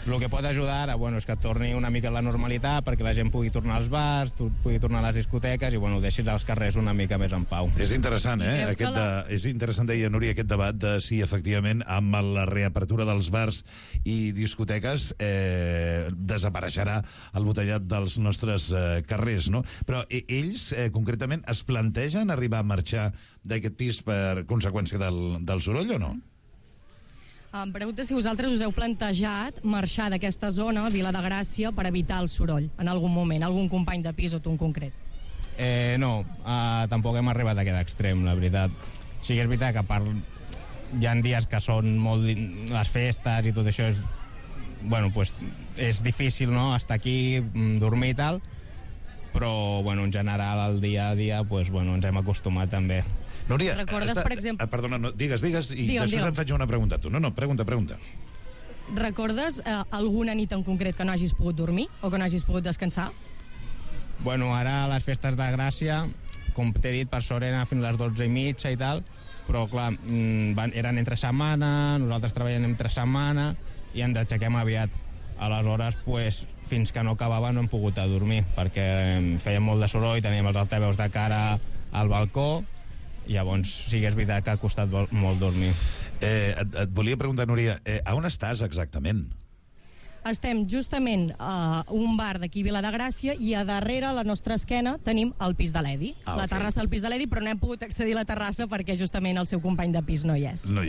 El que pot ajudar ara és que torni una mica a la normalitat perquè la gent pugui tornar als bars, pugui tornar a les discoteques i deixis els carrers una mica més en pau. És interessant, és interessant, deia Núria, aquest debat de si efectivament amb la reapertura dels bars i discoteques desapareixerà el botellat dels nostres carrers, no? Però ells, concretament, es plantegen arribar a marxar d'aquest pis per conseqüència del soroll o no? Em pregunta si vosaltres us heu plantejat marxar d'aquesta zona, Vila de Gràcia, per evitar el soroll, en algun moment, algun company de pis o tu en concret. No, tampoc hem arribat a aquest extrem, la veritat. Sí que és veritat que hi ha dies que són molt les festes i tot això és difícil, no?, estar aquí, dormir i tal, però en general el dia a dia ens hem acostumat també. Núria, recordes, per exemple... Perdona, digues, i després et faig una pregunta a tu. No, pregunta. Recordes alguna nit en concret que no hagis pogut dormir o que no hagis pogut descansar? Ara a les festes de Gràcia, com t'he dit, per sort eren fins a les 12:30 i tal, però clar, eren entre setmana, nosaltres treballem entre setmana i ens aixequem aviat. Aleshores, fins que no acabava no hem pogut dormir, perquè fèiem molt de soroll, teníem els altaveus de cara al balcó. Llavors sí que és veritat que ha costat molt dormir. Et volia preguntar, Núria, on estàs exactament? estem justament a un bar d'aquí Vila de Gràcia i a darrere, a la nostra esquena, tenim el pis de l'Edi. La terrassa del pis de l'Edi, però no hem pogut accedir a la terrassa perquè justament el seu company de pis no hi és. No,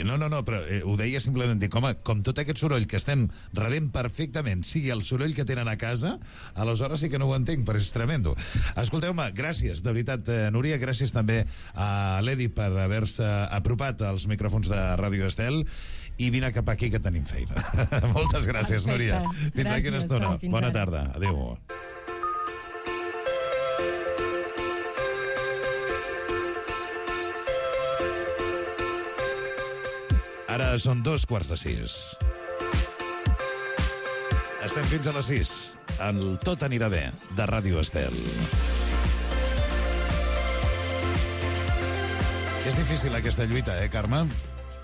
però ho deia simplement dir, com tot aquest soroll que estem rebent perfectament sigui el soroll que tenen a casa, aleshores sí que no ho entenc, però és tremendo. Escolteu-me, gràcies, de veritat, Núria, gràcies també a l'Edi per haver-se apropat als micròfons de Ràdio Estel, i vine cap aquí que tenim feina. Moltes gràcies, Núria. Fins aquí una estona. Bona tarda. Adéu. Ara són 5:15. Estem fins a les 6. El Tot anirà bé, de Ràdio Estel. És difícil aquesta lluita, Carme?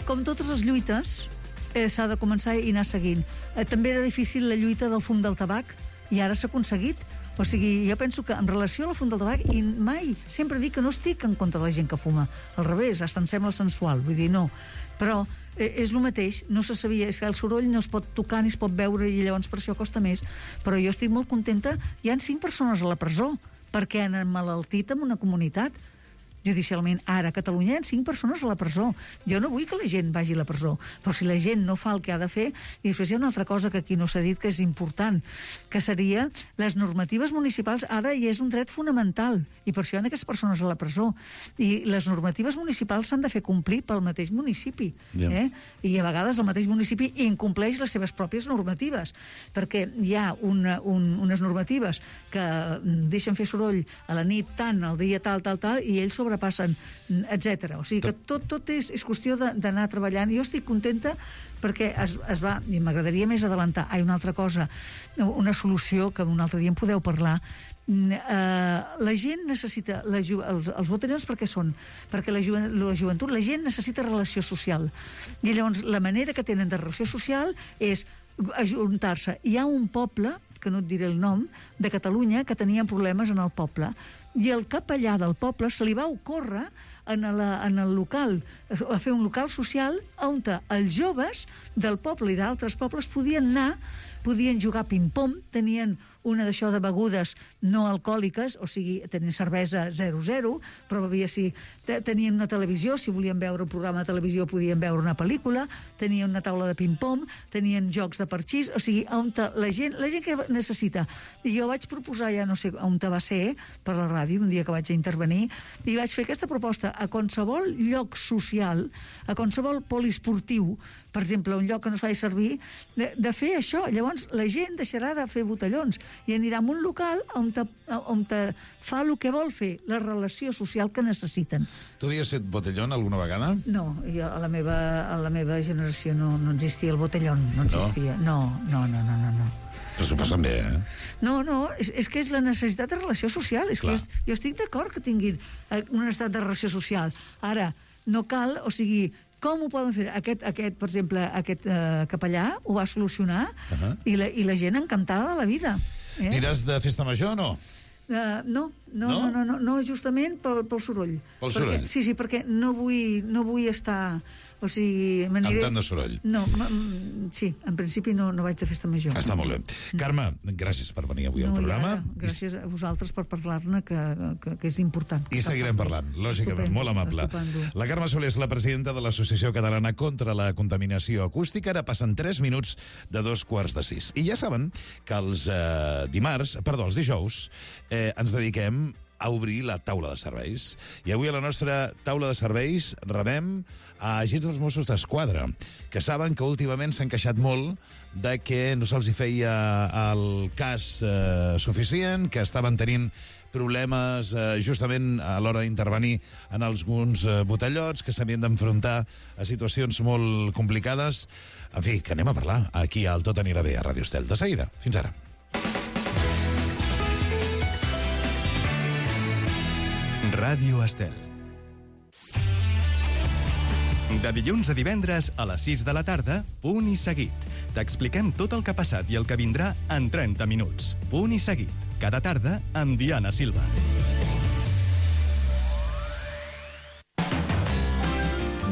Com totes les lluites, s'ha de començar i anar seguint. També era difícil la lluita del fum del tabac, i ara s'ha aconseguit. O sigui, jo penso que en relació al fum del tabac, i mai, sempre dic que no estic en contra de la gent que fuma. Al revés, hasta em sembla sensual, vull dir, no. Però és el mateix, no se sabia, és que el soroll no es pot tocar ni es pot veure i llavors per això costa més. Però jo estic molt contenta, hi han 5 persones a la presó perquè han emmalaltit en una comunitat. Judicialment, ara a Catalunya hi ha 5 persones a la presó. Jo no vull que la gent vagi a la presó, però si la gent no fa el que ha de fer... I després hi ha una altra cosa que aquí no s'ha dit que és important, que seria les normatives municipals. Ara ja és un dret fonamental, i per això hi ha aquestes persones a la presó. I les normatives municipals s'han de fer complir pel mateix municipi. I a vegades el mateix municipi incompleix les seves pròpies normatives, perquè hi ha unes normatives que deixen fer soroll a la nit tant, al dia tal, i ells sobrepassen, etc. O sigui que tot és qüestió d'anar treballant. Jo estic contenta perquè es va, i m'agradaria més adelantar, una altra cosa, una solució que un altre dia en podeu parlar. La gent necessita, els botellons per què són? Perquè la joventut, la gent necessita relació social. I llavors la manera que tenen de relació social és ajuntar-se. Hi ha un poble, que no et diré el nom, de Catalunya, que tenien problemes en el poble, i el capellà del poble se li va ocórrer en el local, a fer un local social on els joves del poble i d'altres pobles podien anar, podien jugar ping-pong, tenien una d'això de begudes no alcohòliques, o sigui, tenien cervesa 0,0, però tenien una televisió, si volien veure un programa de televisió podien veure una pel·lícula, tenien una taula de ping-pong, tenien jocs de parxís, o sigui, la gent que necessita. I jo vaig proposar, ja no sé on va ser, per la ràdio, un dia que vaig intervenir, i vaig fer aquesta proposta a qualsevol lloc social, a qualsevol poliesportiu, per exemple, un lloc que no es faci servir, de fer això. Llavors, la gent deixarà de fer botellons i anirà a un local on fa el que vol fer, la relació social que necessiten. Tu havies fet botellón alguna vegada? No, a la meva generació no existia el botellón, no existia. No. Però s'ho passen bé, No, és que és la necessitat de relació social. És que jo estic d'acord que tinguin una necessitat de relació social. Ara, no cal, o sigui, com ho poden fer? Per exemple, aquest capellà ho va solucionar i la gent encantada de la vida. Aniràs de festa major o no? No, justament pel soroll. Pel soroll? Sí, perquè no vull estar... O sigui, amb tant de soroll. No, sí, en principi no vaig de festa major. Està molt bé. Carme, gràcies per venir avui al programa. Gràcies a vosaltres per parlar-ne, que és important. I seguirem parlant, lògicament, molt amable. La Carme Soler és la presidenta de l'Associació Catalana contra la Contaminació Acústica. Ara passen 3 minuts de 5:45. I ja saben que els dijous ens dediquem a obrir la taula de serveis. I avui a la nostra taula de serveis rebem a agents dels Mossos d'Esquadra, que saben que últimament s'han queixat molt de que no se'ls feia el cas suficient, que estaven tenint problemes justament a l'hora d'intervenir en alguns botellots, que s'havien d'enfrontar a situacions molt complicades. En fi, que anem a parlar aquí al Tot anirà bé a Ràdio Estel. De seguida. Fins ara. Ràdio Estel. De dilluns a divendres a les 6 de la tarda, Punt i Seguit. T'expliquem tot el que ha passat i el que vindrà en 30 minuts. Punt i Seguit. Cada tarda amb Diana Silva.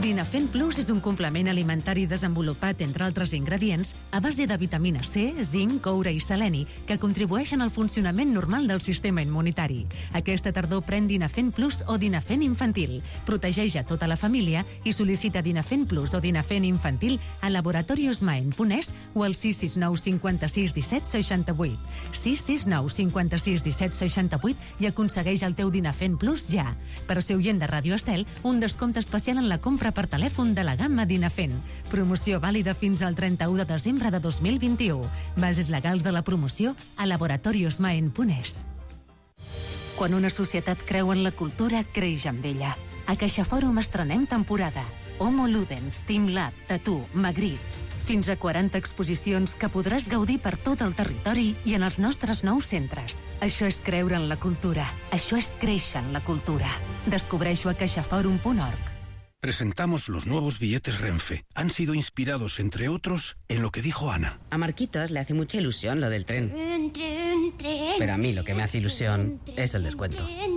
Dinafen Plus és un complement alimentari desenvolupat, entre altres ingredients, a base de vitamina C, zinc, coure i seleni, que contribueixen al funcionament normal del sistema immunitari. Aquesta tardor pren Dinafen Plus o Dinafen Infantil. Protegeix a tota la família i sol·licita Dinafen Plus o Dinafen Infantil a laboratoriosmaen.es o al 669 56 17 68. 669 56 17 68 i aconsegueix el teu Dinafen Plus ja. Per ser oient de Ràdio Estel, un descompte especial en la compra per telèfon de la gamma Dinafen. Promoció vàlida fins al 31 de desembre de 2021. Bases legals de la promoció a laboratoriosmaen.es. Quan una societat creu en la cultura, creix amb ella. A CaixaFòrum estrenem temporada. Homo Ludens, Team Lab, Tattoo, Magritte. Fins a 40 exposicions que podràs gaudir per tot el territori i en els nostres nous centres. Això és creure en la cultura. Això és créixer en la cultura. Descobreix-ho a caixaforum.org. Presentamos los nuevos billetes Renfe. Han sido inspirados, entre otros, en lo que dijo Ana. A Marquitos le hace mucha ilusión lo del tren. Pero a mí lo que me hace ilusión es el descuento. ¡Viva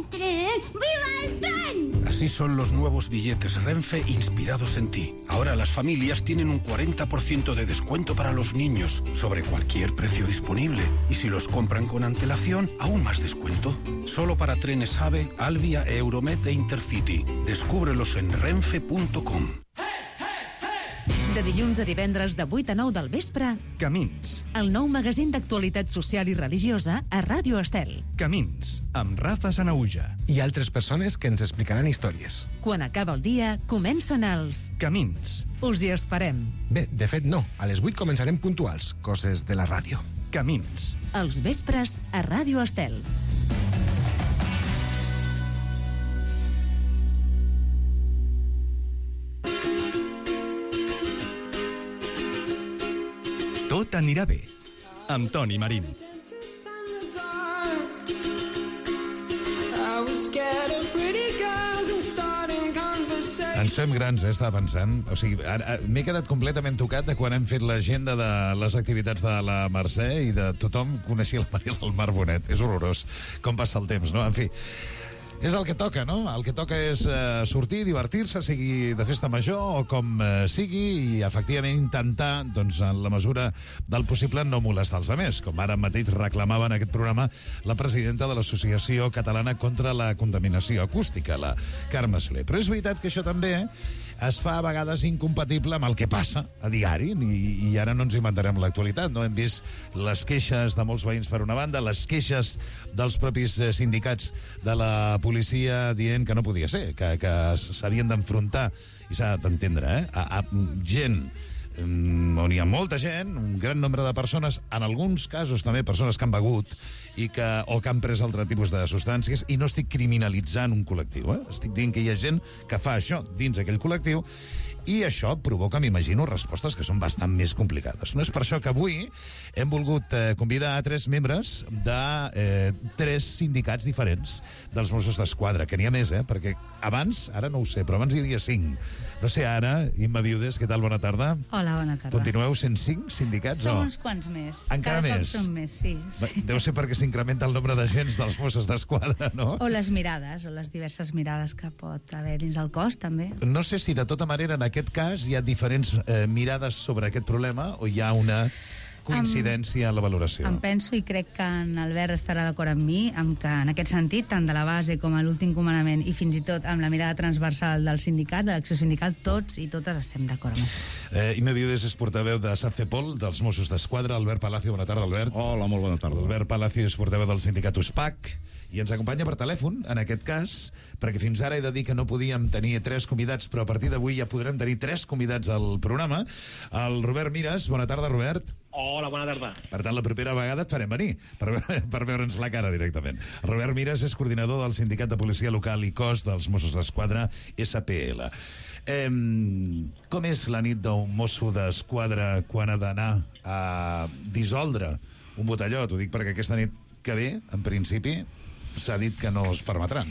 el tren! Así son los nuevos billetes Renfe inspirados en ti. Ahora las familias tienen un 40% de descuento para los niños sobre cualquier precio disponible. Y si los compran con antelación, aún más descuento. Solo para trenes AVE, Alvia, Euromet e Intercity. Descúbrelos en renfe.com. De dilluns a divendres de 8 a 9 del vespre, Camins. El nou magazín d'actualitat social i religiosa a Ràdio Estel. Camins, amb Rafa Sanauja. I altres persones que ens explicaran històries. Quan acaba el dia, comencen els... Camins. Us hi esperem. Bé, de fet no. A les 8 començarem puntuals, coses de la ràdio. Camins. Els vespres a Ràdio Estel. Tot anirà bé, amb Toni Marín. Ens fem grans, estava pensant. O sigui, m'he quedat completament tocat de quan hem fet l'agenda de les activitats de la Mercè i de tothom coneixia la Maria del Mar Bonet. És horrorós com passa el temps, no? En fi, és el que toca, no? El que toca és sortir, divertir-se, sigui de festa major o com sigui, i efectivament intentar, doncs, en la mesura del possible, no molestar els altres, com ara mateix reclamava en aquest programa la presidenta de l'Associació Catalana contra la Contaminació Acústica, la Carme Soler. Però és veritat que això també es fa a vegades incompatible amb el que passa a diari, i ara no ens inventarem l'actualitat, no? Hem vist les queixes de molts veïns per una banda, les queixes dels propis sindicats de la policia dient que no podia ser, que s'havien d'enfrontar, i s'ha d'entendre, a gent on hi ha molta gent, un gran nombre de persones, en alguns casos també persones que han begut o que han pres altre tipus de substàncies, i no estic criminalitzant un col·lectiu, estic dient que hi ha gent que fa això dins aquell col·lectiu, i això provoca, m'imagino, respostes que són bastant més complicades. No és per això que avui hem volgut convidar a 3 membres de 3 sindicats diferents dels Mossos d'Esquadra, que n'hi ha més, perquè abans, ara no ho sé, però abans hi havia 5. No sé ara, Imma Viudes, què tal? Bona tarda. Hola, bona tarda. Continueu sent 5 sindicats? Som uns quants més. Encara Cada més? cop som més, sí. Deu ser perquè s'incrementa el nombre d'agents dels Mossos d'Esquadra, no? O les mirades, o les diverses mirades que pot haver dins el cos, també. No sé si de tota manera en aquest cas hi ha diferents mirades sobre aquest problema o hi ha una coincidència en la valoració. Em penso, i crec que en Albert estarà d'acord amb mi, amb que en aquest sentit, tant de la base com a l'últim comandament i fins i tot amb la mirada transversal del sindicat, de l'acció sindical, tots i totes estem d'acord amb això. Imma Viudes és portaveu de SACEPOL, dels Mossos d'Esquadra. Albert Palacio, bona tarda, Albert. Hola, molt bona tarda. Albert Palacio és portaveu del sindicat USPAC i ens acompanya per telèfon, en aquest cas, perquè fins ara he de dir que no podíem tenir 3 convidats, però a partir d'avui ja podrem tenir 3 convidats al programa. El Robert Mires. Bona tarda, Robert. Hola, bona tarda. Per tant, la propera vegada et farem venir, per veure'ns la cara directament. Robert Mires és coordinador del Sindicat de Policia Local i Cos dels Mossos d'Esquadra, SPL. Com és la nit d'un mosso d'esquadra quan ha d'anar a dissoldre un botelló? T'ho dic perquè aquesta nit que ve, en principi, s'ha dit que no es permetran.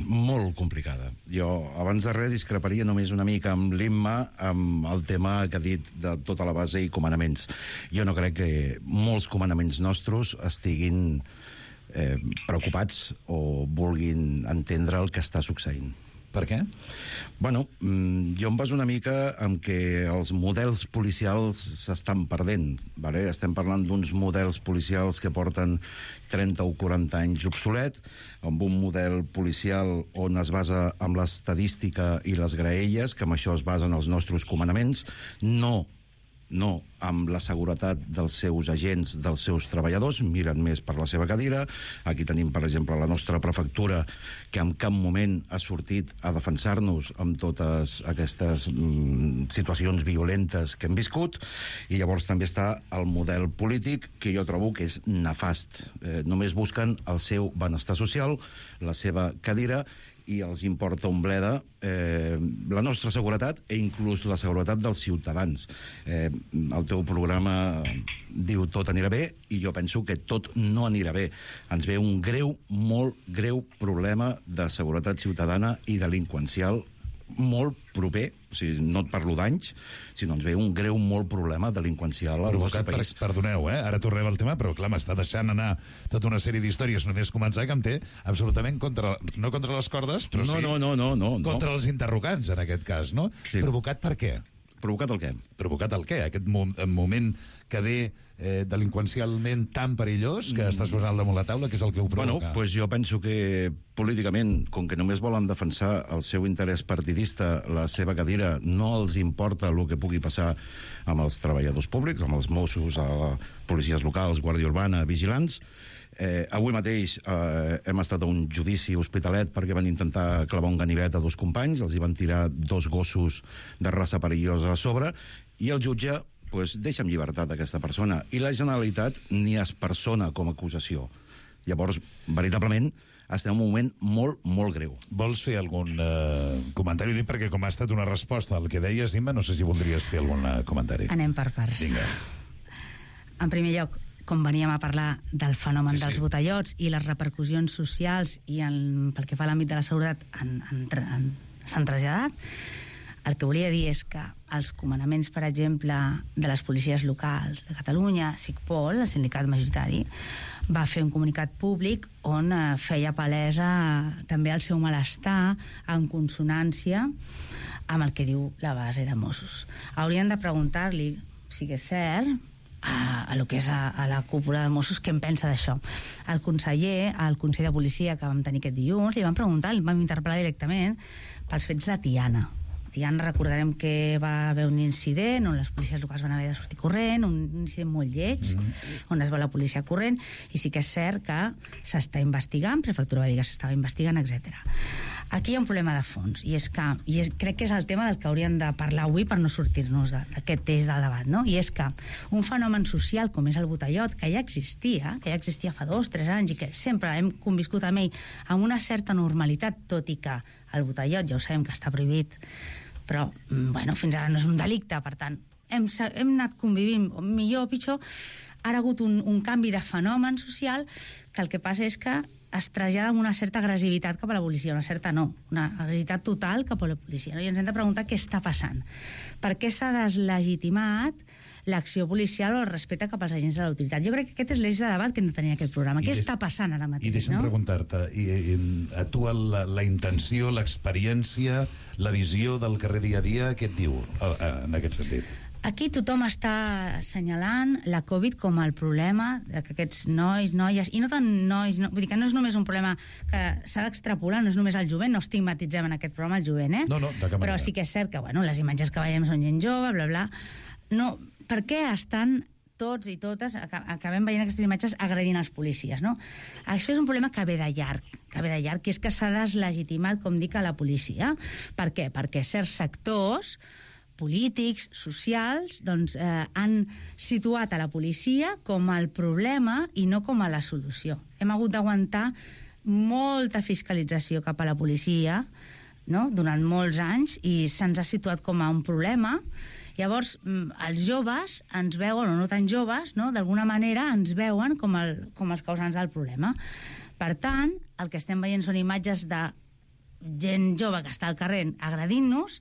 Molt complicada. Jo, abans de res, discreparia només una mica amb l'Imma, amb el tema que ha dit de tota la base i comandaments. Jo no crec que molts comandaments nostres estiguin preocupats o vulguin entendre el que està succeint. Per què? Bueno, jo em baso una mica en que els models policials s'estan perdent. Vale? Estem parlant d'uns models policials que porten 30 o 40 anys obsolet, amb un model policial on es basa en l'estadística i les graelles, que amb això es basen els nostres comandaments, no amb la seguretat dels seus agents, dels seus treballadors, miren més per la seva cadira. Aquí tenim, per exemple, la nostra prefectura, que en cap moment ha sortit a defensar-nos amb totes aquestes situacions violentes que hem viscut, i llavors també està el model polític, que jo trobo que és nefast. Només busquen el seu benestar social, la seva cadira, i els importa un bleda la nostra seguretat i inclús la seguretat dels ciutadans. El teu programa diu tot anirà bé, i jo penso que tot no anirà bé. Ens ve un molt greu problema de seguretat ciutadana i delinqüencial molt proper, o sigui, no et parlo d'anys, sinó ens ve un molt problema delinqüencial al nostre país. Perdoneu, ara tornem al tema, però clar, m'està deixant anar tota una sèrie d'històries només començar, que em té absolutament no contra les cordes, però no, contra els interrogants, en aquest cas, no? Sí. Provocat per què? Provocat el què? Provocat el què? Aquest moment que ve delinqüencialment tan perillós que estàs posant al damunt la taula, que és el que ho provoca? Bueno, pues jo penso que políticament, com que només volen defensar el seu interès partidista, la seva cadira, no els importa el que pugui passar amb els treballadors públics, amb els Mossos, policies locals, Guàrdia Urbana, vigilants. Avui mateix hem estat a un judici hospitalet perquè van intentar clavar un ganivet a 2 companys, els hi van tirar 2 gossos de raça perillosa a sobre, i el jutge deixa en llibertat aquesta persona, i la Generalitat ni es persona com a acusació. Llavors, veritablement, estem en un moment molt greu. Vols fer algun comentari? Dic perquè com ha estat una resposta al que deies, Imma, no sé si voldries fer algun comentari. Anem per parts. Vinga. En primer lloc, com veníem a parlar del fenomen dels botellots i les repercussions socials i pel que fa a l'àmbit de la seguretat s'han traslladat, el que volia dir és que els comandaments, per exemple, de les policies locals de Catalunya, SICPOL, el sindicat majoritari, va fer un comunicat públic on feia palesa també el seu malestar en consonància amb el que diu la base de Mossos. Haurien de preguntar-li, si és cert, a lo que és a la cúpula de Mossos, què en pensa d'això. El conseller, al Consell de Policia que vam tenir aquest dilluns, li vam preguntar, li vam interpel·lar directament pels fets de Tiana. Tiana, recordarem que va haver un incident on les policies locals van haver de sortir corrent, un incident molt lleig, on es va la policia corrent, i sí que és cert que s'està investigant, Prefectura va dir que s'estava investigant, etc. Aquí hi ha un problema de fons, i crec que és el tema del que hauríem de parlar avui per no sortir-nos d'aquest eix del debat, no? I és que un fenomen social com és el botellot, que ja existia fa 2-3 anys, i que sempre hem conviscut amb ell amb una certa normalitat, tot i que el botellot ja ho sabem que està prohibit, però fins ara no és un delicte, per tant hem anat convivint, millor o pitjor. Ha hagut un canvi de fenomen social que el que passa és que es trasllada amb una certa agressivitat cap a la policia, una agressivitat total cap a la policia, no? I ens hem de preguntar què està passant, per què s'ha deslegitimat l'acció policial o el respecte cap als agents de l'autoritat. Jo crec que aquest és l'eix de debat que hem de tenir en aquest programa. Què està passant ara mateix? I deixa'm preguntar-te, a tu la intenció, l'experiència, la visió del carrer dia a dia, què et diu en aquest sentit? Aquí tothom està assenyalant la Covid com el problema de que aquests nois, noies, i no tant nois, vull dir que no és només un problema que s'ha d'extrapolar, no és només el jovent, no estigmatitzem en aquest programa el jovent, No, de cap manera. Però sí que és cert que, les imatges que veiem són gent jove, bla, bla. No, per què estan tots i totes, acabem veient aquestes imatges agredint els policies, no? Això és un problema que ve de llarg, i és que s'ha deslegitimat, com dic, a la policia. Per què? Perquè certs sectors polítics, socials, han situat a la policia com el problema i no com a la solució. Hem hagut d'aguantar molta fiscalització cap a la policia, no?, durant molts anys, i se'ns ha situat com a un problema. Llavors, els joves ens veuen, o no tan joves, no?, d'alguna manera ens veuen com els causants del problema. Per tant, el que estem veient són imatges de gent jove que està al carrer agredint-nos,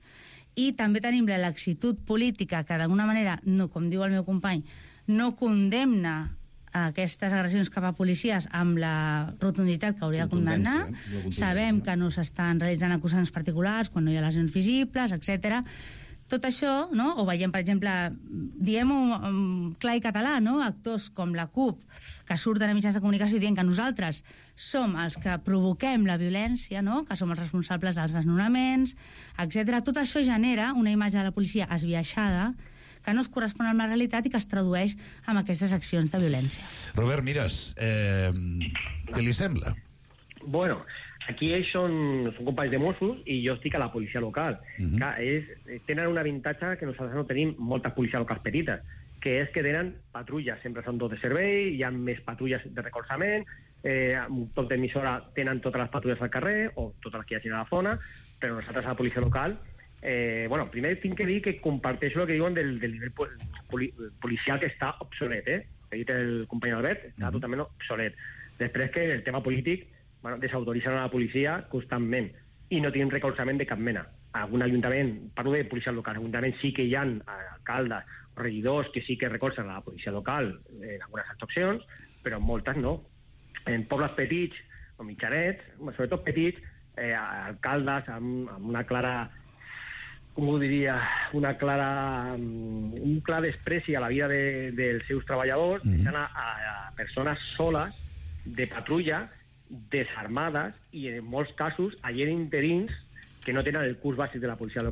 i també tenim la laxitud política que d'alguna manera, no, com diu el meu company, no condemna aquestes agressions cap a policies amb la rotunditat que hauria de condemnar. Sabem que no s'estan realitzant acusacions particulars quan no hi ha lesions visibles, etc. Tot això, no? O veiem, per exemple, diem-ho clar i català, no? Actors com la CUP, que surten a mitjans de comunicació dient que nosaltres som els que provoquem la violència, no? Que som els responsables dels desnonaments, etc. Tot això genera una imatge de la policia esbiaixada que no es correspon amb la realitat i que es tradueix en aquestes accions de violència. Robert Mires, què li sembla? Bueno, aquí ells són companys de Mossos i jo estic a la policia local. Clar, tenen un avantatge que nosaltres no tenim moltes policies locals petites, que és que tenen patrulles, sempre són dos de servei, hi ha més patrulles de recolzament, tot d'emissora tenen totes les patrulles al carrer, o totes les que hi hagi a la zona, però nosaltres a la policia local bueno, primer tinc que dir que comparteixo el que diuen del nivell policial que està obsolet, ha dit el company Albert, està totalment obsolet. Després que el tema polític, bueno, desautoritzen a la policia constantment i no tenen recolzament de cap mena. Algun ajuntament, parlo de policia local, ajuntament sí que hi ha alcaldes o regidors que sí que recolzen a la policia local en algunes actuacions, però moltes no. En pobles petits o mitjanets, sobretot petits, alcaldes amb una clara, com ho diria, un clar despreci a la vida dels seus treballadors, deixant a persones soles de patrulla, desarmades i en molts casos gent interins que no tenen el curs bàsic de la policia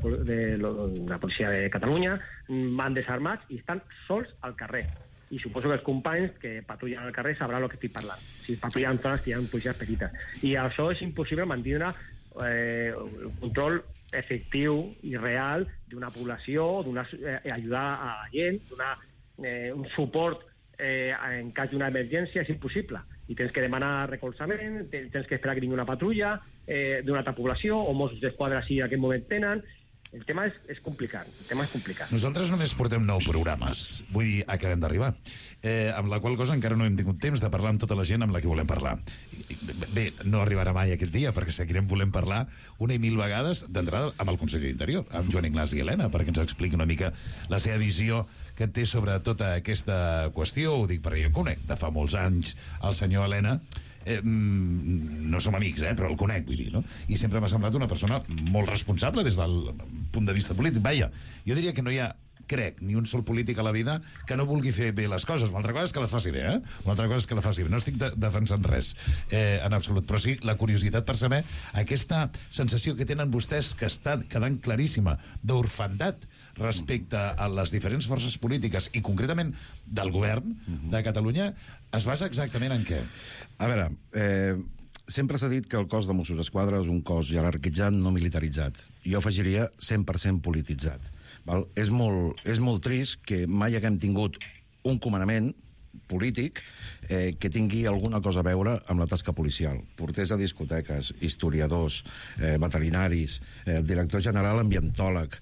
de Catalunya, van desarmats i estan sols al carrer. I suposo que els companys que patrullen al carrer sabran el que estic parlant. Si patrullen zones que hi ha policies petites. I això és impossible mantenir un control efectiu i real d'una població, ajudar a la gent, donar un suport en cas d'una emergència, és impossible. I tens que demanar recolzament, tens que esperar que vingui una patrulla d'una altra població, o Mossos d'Esquadra si en aquest moment tenen. El tema és complicat. Nosaltres només portem 9 programes. Vull dir, acabem d'arribar. Amb la qual cosa encara no hem tingut temps de parlar amb tota la gent amb la que volem parlar. Bé, no arribarà mai aquest dia, perquè seguirem volent parlar una i mil vegades d'entrada amb el conseller d'Interior, amb Joan Ignasi Elena, perquè ens expliqui una mica la seva visió que té sobre tota aquesta qüestió. Ho dic perquè jo conec de fa molts anys el senyor Elena. No som amics, però el conec, vull dir, no? I sempre m'ha semblat una persona molt responsable des del punt de vista polític. Vaja, jo diria que no hi ha, crec, ni un sol polític a la vida que no vulgui fer bé les coses. Una altra cosa és que les faci bé, Una altra cosa és que la faci bé. No estic defensant res, en absolut, però sí la curiositat per saber aquesta sensació que tenen vostès, que està quedant claríssima, d'orfandat respecte a les diferents forces polítiques i concretament del govern de Catalunya, es basa exactament en què? A veure, sempre s'ha dit que el cos de Mossos d'Esquadra és un cos jerarquitzat, no militaritzat. Jo afegiria 100% polititzat. Val? És molt trist que mai haguem tingut un comandament polític que tingui alguna cosa a veure amb la tasca policial. Porters de discoteques, historiadors, veterinaris, director general ambientòleg.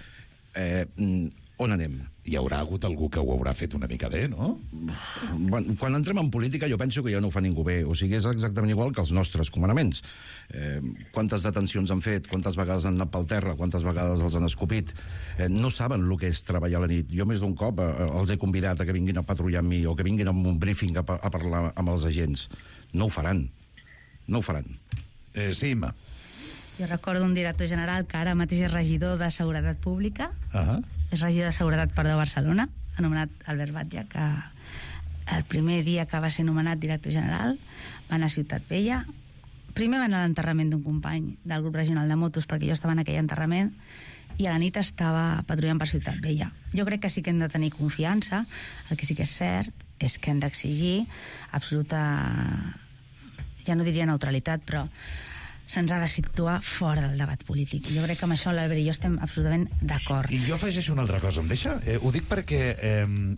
On anem? Hi haurà hagut algú que ho haurà fet una mica bé, no? Quan entrem en política jo penso que ja no ho fa ningú bé. O sigui, és exactament igual que els nostres comandaments. Quantes detencions han fet, quantes vegades han anat pel terra, quantes vegades els han escopit. No saben el que és treballar a la nit. Jo més d'un cop els he convidat a que vinguin a patrullar amb mi o que vinguin a un briefing a parlar amb els agents. No ho faran. No ho faran. Sí, Imma. Jo recordo un director general que ara mateix és regidor de Seguretat Pública, és regidor de Seguretat de Barcelona, anomenat Albert Batlle, que el primer dia que va ser nomenat director general va anar a Ciutat Vella. Primer va anar a l'enterrament d'un company del grup regional de motos, perquè jo estava en aquell enterrament, i a la nit estava patrullant per Ciutat Vella. Jo crec que sí que hem de tenir confiança. El que sí que és cert és que hem d'exigir absoluta, ja no diria neutralitat, però se'ns ha de situar fora del debat polític. Jo crec que amb això l'Albert i jo estem absolutament d'acord. I jo afegeixo una altra cosa, em deixa? Ho dic perquè,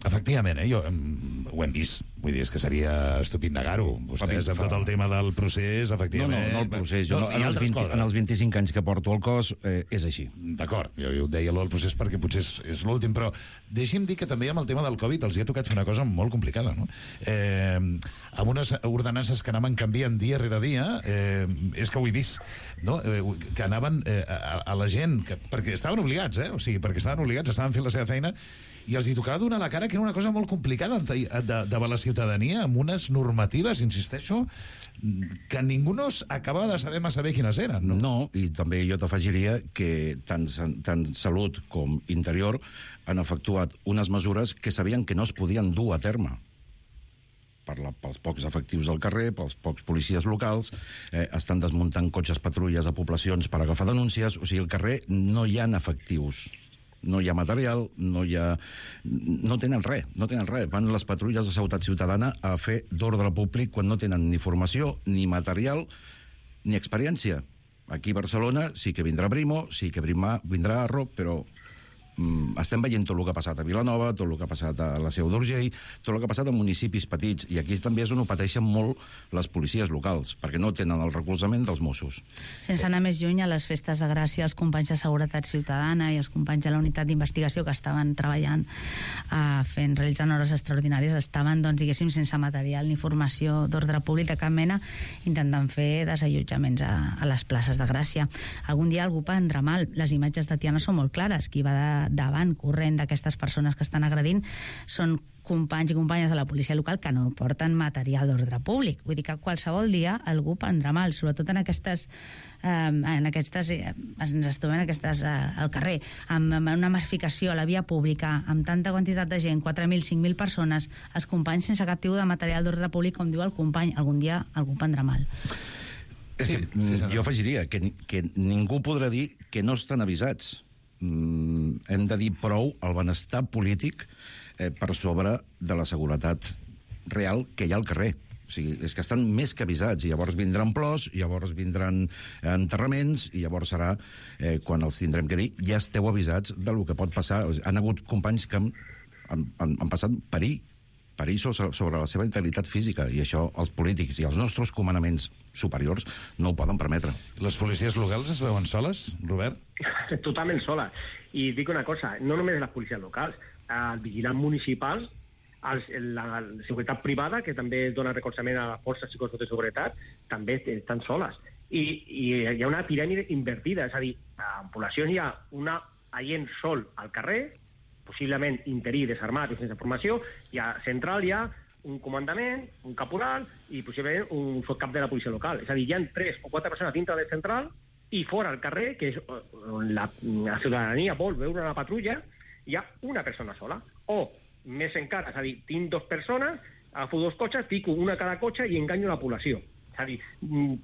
efectivament, jo ho hem vist, vull dir, és que seria estúpid negar-ho. Vostès, amb tot el tema del procés, efectivament... No el procés. En els 25 anys que porto al cos, és així. D'acord, jo ho deia el procés perquè potser és l'últim, però deixi'm dir que també amb el tema del Covid els hi ha tocat fer una cosa molt complicada, no? Amb unes ordenances que anaven canviant dia rere dia, és que ho he vist, no? Que anaven a la gent, perquè estaven obligats, o sigui, perquè estaven obligats, estaven fent la seva feina, i els hi tocava donar la cara, que era una cosa molt complicada davant la ciutadania, amb unes normatives, insisteixo, que ningú no acabava de saber massa bé quines eren. No, i també jo t'afegiria que tant Salut com Interior han efectuat unes mesures que sabien que no es podien dur a terme pels pocs efectius del carrer, pels pocs policies locals, estan desmuntant cotxes patrulles a poblacions per agafar denúncies, o sigui, al carrer no hi ha efectius, no hi ha material, no tenen res. Van les patrulles de seguretat ciutadana a fer d'ordre públic quan no tenen ni formació, ni material, ni experiència. Aquí a Barcelona sí que vindrà Brimo, sí que vindrà Arro, però estem veient tot el que ha passat a Vilanova, tot el que ha passat a la Seu d'Urgell, tot el que ha passat a municipis petits, i aquí també és on ho pateixen molt les policies locals, perquè no tenen el recolzament dels Mossos. Sense anar més lluny, a les festes de Gràcia, els companys de Seguretat Ciutadana i els companys de la unitat d'investigació que estaven treballant, realitzant hores extraordinàries, estaven, doncs, diguéssim, sense material ni formació d'ordre públic de cap mena, intentant fer desallotjaments a les places de Gràcia. Algun dia algú prendrà mal. Les imatges de Tiana són molt clares. Qui va davant, corrent d'aquestes persones que estan agredint, són companys i companyes de la policia local que no porten material d'ordre públic. Vull dir que qualsevol dia algú prendrà mal, sobretot en aquestes ens trobem al carrer, amb una massificació a la via pública, amb tanta quantitat de gent, 4.000, 5.000 persones, els companys sense cap tipus de material d'ordre públic, com diu el company, algun dia algú prendrà mal. Jo afegiria que ningú podrà dir que no estan avisats. Hem de dir prou el benestar polític per sobre de la seguretat real que hi ha al carrer. O sigui, és que estan més que avisats, i llavors vindran plors, i llavors vindran enterraments, i llavors serà quan els tindrem que dir ja esteu avisats del que pot passar. Han hagut companys que han passat perir sobre la seva integritat física, i això els polítics i els nostres comandaments superiors no ho poden permetre. Les policies locals es veuen soles, Robert? Totalment soles. I dic una cosa, no només les policies locals, els vigilants municipals, la seguretat privada, que també dona recolzament a les forces i cossos de seguretat, també estan soles. I hi ha una piràmide invertida, és a dir, en poblacions hi ha un agent sol al carrer, possiblement interí, desarmat i sense formació, i a central hi ha un comandament, un caporal i possiblement un cap de la policia local. És a dir, hi ha 3 o 4 persones dintre de central i fora al carrer, que és on la ciutadania vol veure una patrulla, hi ha una persona sola. O, més encara, és a dir, tinc 2 persones, agafo 2 cotxes, fico una a cada cotxe i enganyo la població. És a dir,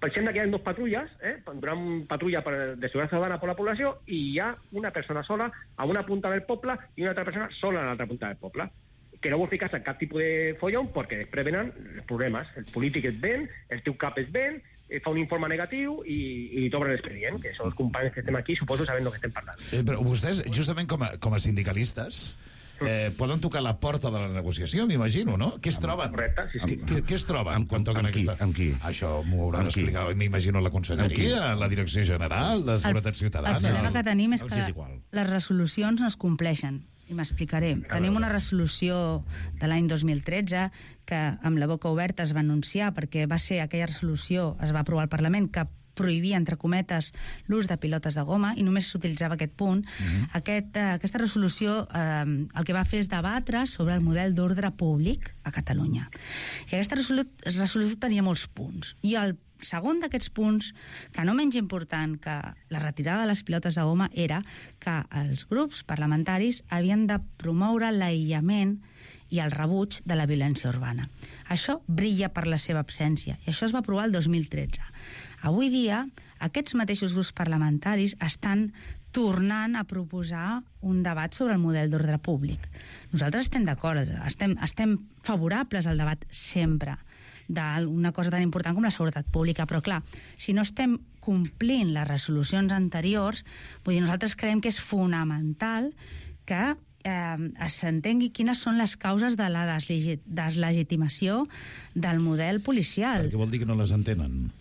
pensem que hi ha 2 patrulles, una patrulla de seguretat ciutadana per la població, i hi ha una persona sola a una punta del poble i una altra persona sola a l'altra punta del poble, que no vol ficar-se en cap tipus de follon perquè després venen els problemes. El polític et ven, el teu cap es ven, fa un informe negatiu i t'obre l'expedient, que són els companys que estem aquí, suposo sabent del que estem parlant. Però vostès, justament com a sindicalistes, poden tocar la porta de la negociació, m'imagino, no? Què es troben? Correcte, sí. Què es troben quan toquen aquesta... Amb qui? Això m'ho haurà d'explicar, m'imagino, la Conselleria, la Direcció General de Seguretat Ciutadana. El problema que tenim és que les resolucions no es compleixen. I m'explicaré. Tenim una resolució de l'any 2013 que amb la boca oberta es va anunciar, perquè va ser aquella resolució, es va aprovar al Parlament, que prohibia, entre cometes, l'ús de pilotes de goma, i només s'utilitzava aquest punt. Aquesta resolució el que va fer és debatre sobre el model d'ordre públic a Catalunya. I aquesta resolució tenia molts punts. I el segon d'aquests punts, que no menys important que la retirada de les pilotes de goma, era que els grups parlamentaris havien de promoure l'aïllament i el rebuig de la violència urbana. Això brilla per la seva absència, i això es va aprovar el 2013. Avui dia, aquests mateixos grups parlamentaris estan tornant a proposar un debat sobre el model d'ordre públic. Nosaltres estem d'acord, estem favorables al debat sempre d'una cosa tan important com la seguretat pública, però clar, si no estem complint les resolucions anteriors, vull dir, nosaltres creiem que és fonamental que s'entengui quines són les causes de la deslegitimació del model policial. Què vol dir que no les entenen?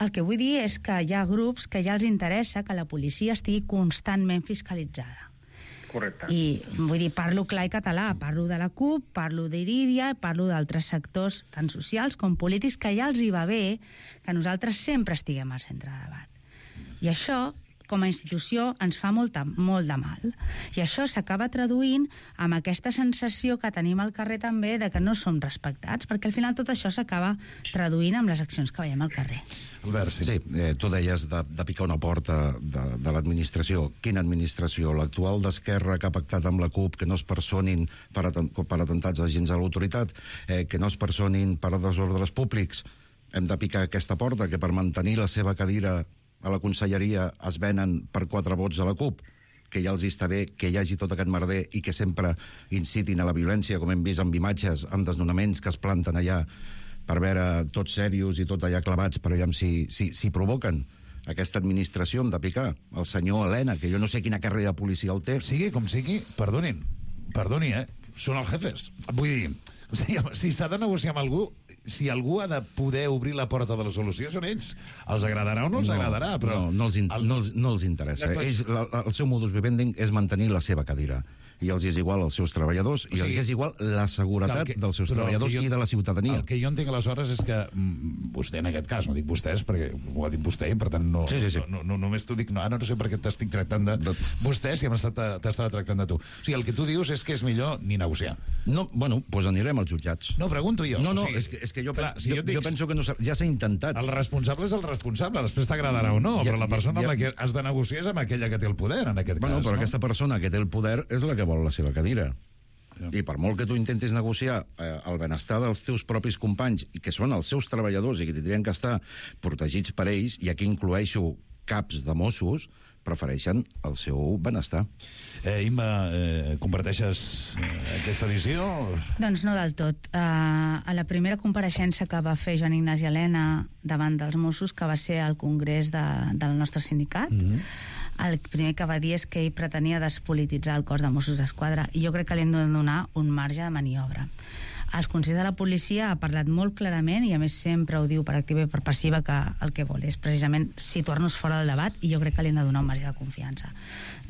El que vull dir és que hi ha grups que ja els interessa que la policia estigui constantment fiscalitzada. Correcte. I vull dir, parlo clar i català, parlo de la CUP, parlo d'Irídia, parlo d'altres sectors tant socials com polítics que ja els hi va bé que nosaltres sempre estiguem al centre de debat. I això com a institució ens fa molt de mal. I això s'acaba traduint amb aquesta sensació que tenim al carrer també de que no som respectats, perquè al final tot això s'acaba traduint amb les accions que veiem al carrer. Albert, sí, tu deies de picar una porta de l'administració. Quina administració? L'actual d'Esquerra que ha pactat amb la CUP que no es personin per atentats agents de l'autoritat, que no es personin per desordres públics. Hem de picar aquesta porta que per mantenir la seva cadira a la conselleria es venen per 4 vots de la CUP, que ja els està bé que hi hagi tot aquest merder i que sempre incitin a la violència, com hem vist amb imatges, amb desnonaments que es planten allà per veure tots serios i tot allà clavats, però ja si provoquen aquesta administració hem de picar. El senyor Elena, que jo no sé quina carrera de policia el té. Sigui com sigui, perdoni, són els jefes. Vull dir, si s'ha de negociar amb algú, si algú ha de poder obrir la porta de la solució són ells. Els agradarà o no els agradarà, però... No els interessa. El seu modus vivendi és mantenir la seva cadira. I els és igual als seus treballadors, i els és igual la seguretat dels seus treballadors i de la ciutadania. El que jo entenc aleshores és que vostè, en aquest cas, no dic vostès, perquè ho ha dit vostè, i per tant no només t'ho dic, ara no sé per què t'estic tractant de vostè, si t'estava tractant de tu. O sigui, el que tu dius és que és millor ni negociar. No, bueno, doncs anirem als jutjats. No, pregunto jo. No, és que jo penso que ja s'ha intentat. El responsable és el responsable, després t'agradarà o no, però la persona amb la que has de negociar és amb aquella que té el poder, en aquest cas. Bueno, però aquesta persona que té el poder és la que vol la seva cadira. I per molt que tu intentis negociar el benestar dels teus propis companys, i que són els seus treballadors i que tindrien que estar protegits per ells, i aquí incloeixo caps de Mossos, prefereixen el seu benestar. Imma, comparteixes aquesta visió? Doncs no del tot. A la primera compareixença que va fer Joan Ignasi Elena davant dels Mossos, que va ser al congrés del nostre sindicat, el primer que va dir és que ell pretenia despolititzar el cos de Mossos d'Esquadra, i jo crec que li hem de donar un marge de maniobra. El Consell de la Policia ha parlat molt clarament, i a més sempre ho diu per activa i per passiva, que el que vol és precisament situar-nos fora del debat, i jo crec que li hem de donar un marge de confiança.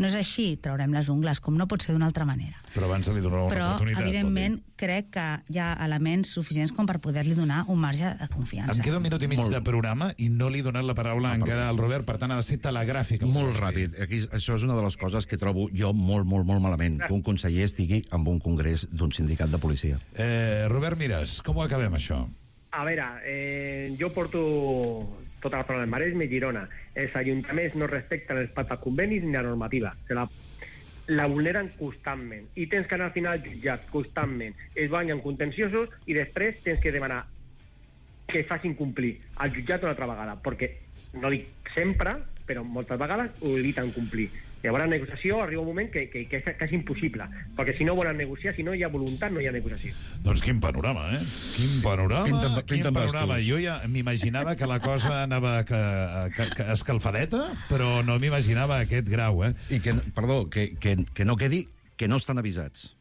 No és així, traurem les ungles, com no pot ser d'una altra manera. Però abans li donarà una oportunitat. Però, evidentment, crec que hi ha elements suficients com per poder-li donar un marge de confiança. Em queda un minut i mig de programa i no li he donat la paraula encara al Robert, per tant ha de ser telegràfic. Molt ràpid. Això és una de les coses que trobo jo molt malament, que un conseller estigui en un congrés d'un sindicat de policia. Robert Mires, com ho acabem, això? A veure, jo porto tota la zona del Maresme i Girona. Els ajuntaments no respecten els pactes convenis ni la normativa. La vulneren constantment. I tens que anar al final jutjat constantment. Es guanyen contenciosos i després tens que demanar que facin complir al jutjat una altra vegada. Perquè, no dic sempre, però moltes vegades ho eviten complir. Llavors la negociació arriba un moment que és impossible, perquè si no volen negociar, si no hi ha voluntat, no hi ha negociació. Doncs quin panorama, Quin panorama. Jo ja m'imaginava que la cosa anava escalfadeta, però no m'imaginava aquest grau, I que, perdó, que no quedi que no estan avisats.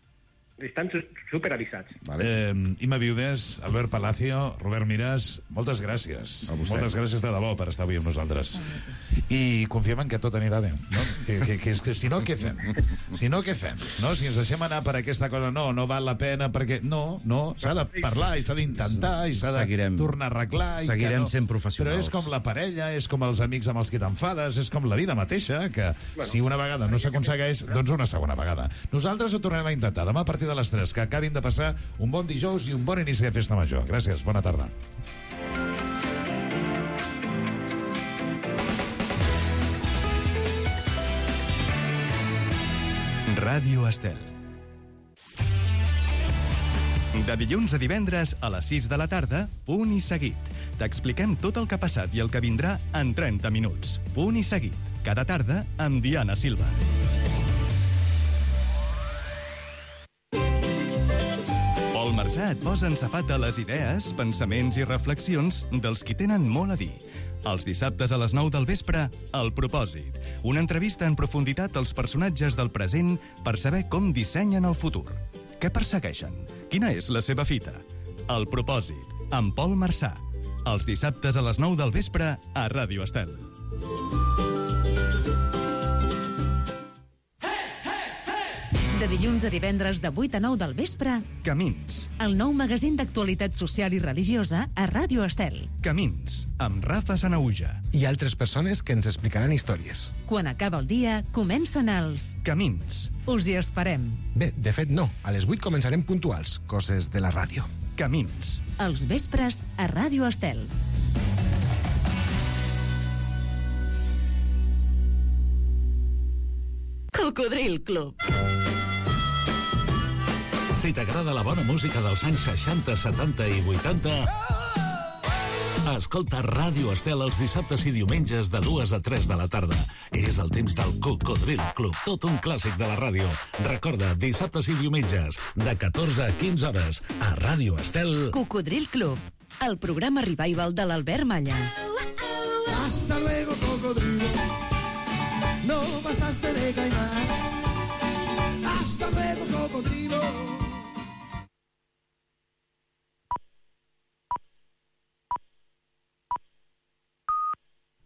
Estan superavisats. Imma Viudes, Albert Palacio, Robert Mires, moltes gràcies. Moltes gràcies de debò per estar avui amb nosaltres. I confiem en que tot anirà bé, no? Que si no, què fem? Si no, què fem? No? Si ens deixem anar per aquesta cosa, no val la pena, perquè no, s'ha de parlar i s'ha d'intentar i s'ha de tornar a arreglar. Seguirem sent professionals. Però és com la parella, és com els amics amb els que t'enfades, és com la vida mateixa, que si una vegada no s'aconsegueix, doncs una segona vegada. Nosaltres ho tornarem a intentar demà a partir de les 3, que acabin de passar un bon dijous i un bon inici de festa major. Gràcies, bona tarda. Ràdio Estel. De dilluns a divendres a les 6 de la tarda, Punt i Seguit. T'expliquem tot el que ha passat i el que vindrà en 30 minuts. Punt i Seguit. Cada tarda amb Diana Silva. Pol Marsà et posa en safata les idees, pensaments i reflexions dels qui tenen molt a dir. Els dissabtes a les 9 del vespre, El Propòsit. Una entrevista en profunditat als personatges del present per saber com dissenyen el futur. Què persegueixen? Quina és la seva fita? El Propòsit, amb Pol Marsà. Els dissabtes a les 9 del vespre a Ràdio Estel. De De dilluns a divendres de 8 a 9 del vespre, Camins. el nou magazín d'actualitat social i religiosa a Ràdio Estel. Camins, amb Rafa Sanauja. I altres persones que ens explicaran històries. Quan acaba el dia, comencen els... Camins. Us hi esperem. Bé, de fet no. A les 8 començarem puntuals. Coses de la ràdio. Camins. Els vespres a Ràdio Estel. Cocodril Club. Si t'agrada la bona música dels anys 60, 70 i 80, escolta Ràdio Estel els dissabtes i diumenges de 2 a 3 de la tarda. És el temps del Cocodril Club, tot un clàssic de la ràdio. Recorda, dissabtes i diumenges, de 14 a 15 hores, a Ràdio Estel. Cocodril Club, el programa revival de l'Albert Malla. Hasta luego, cocodrilo. No pasaste de caimán. Hasta luego, cocodrilo.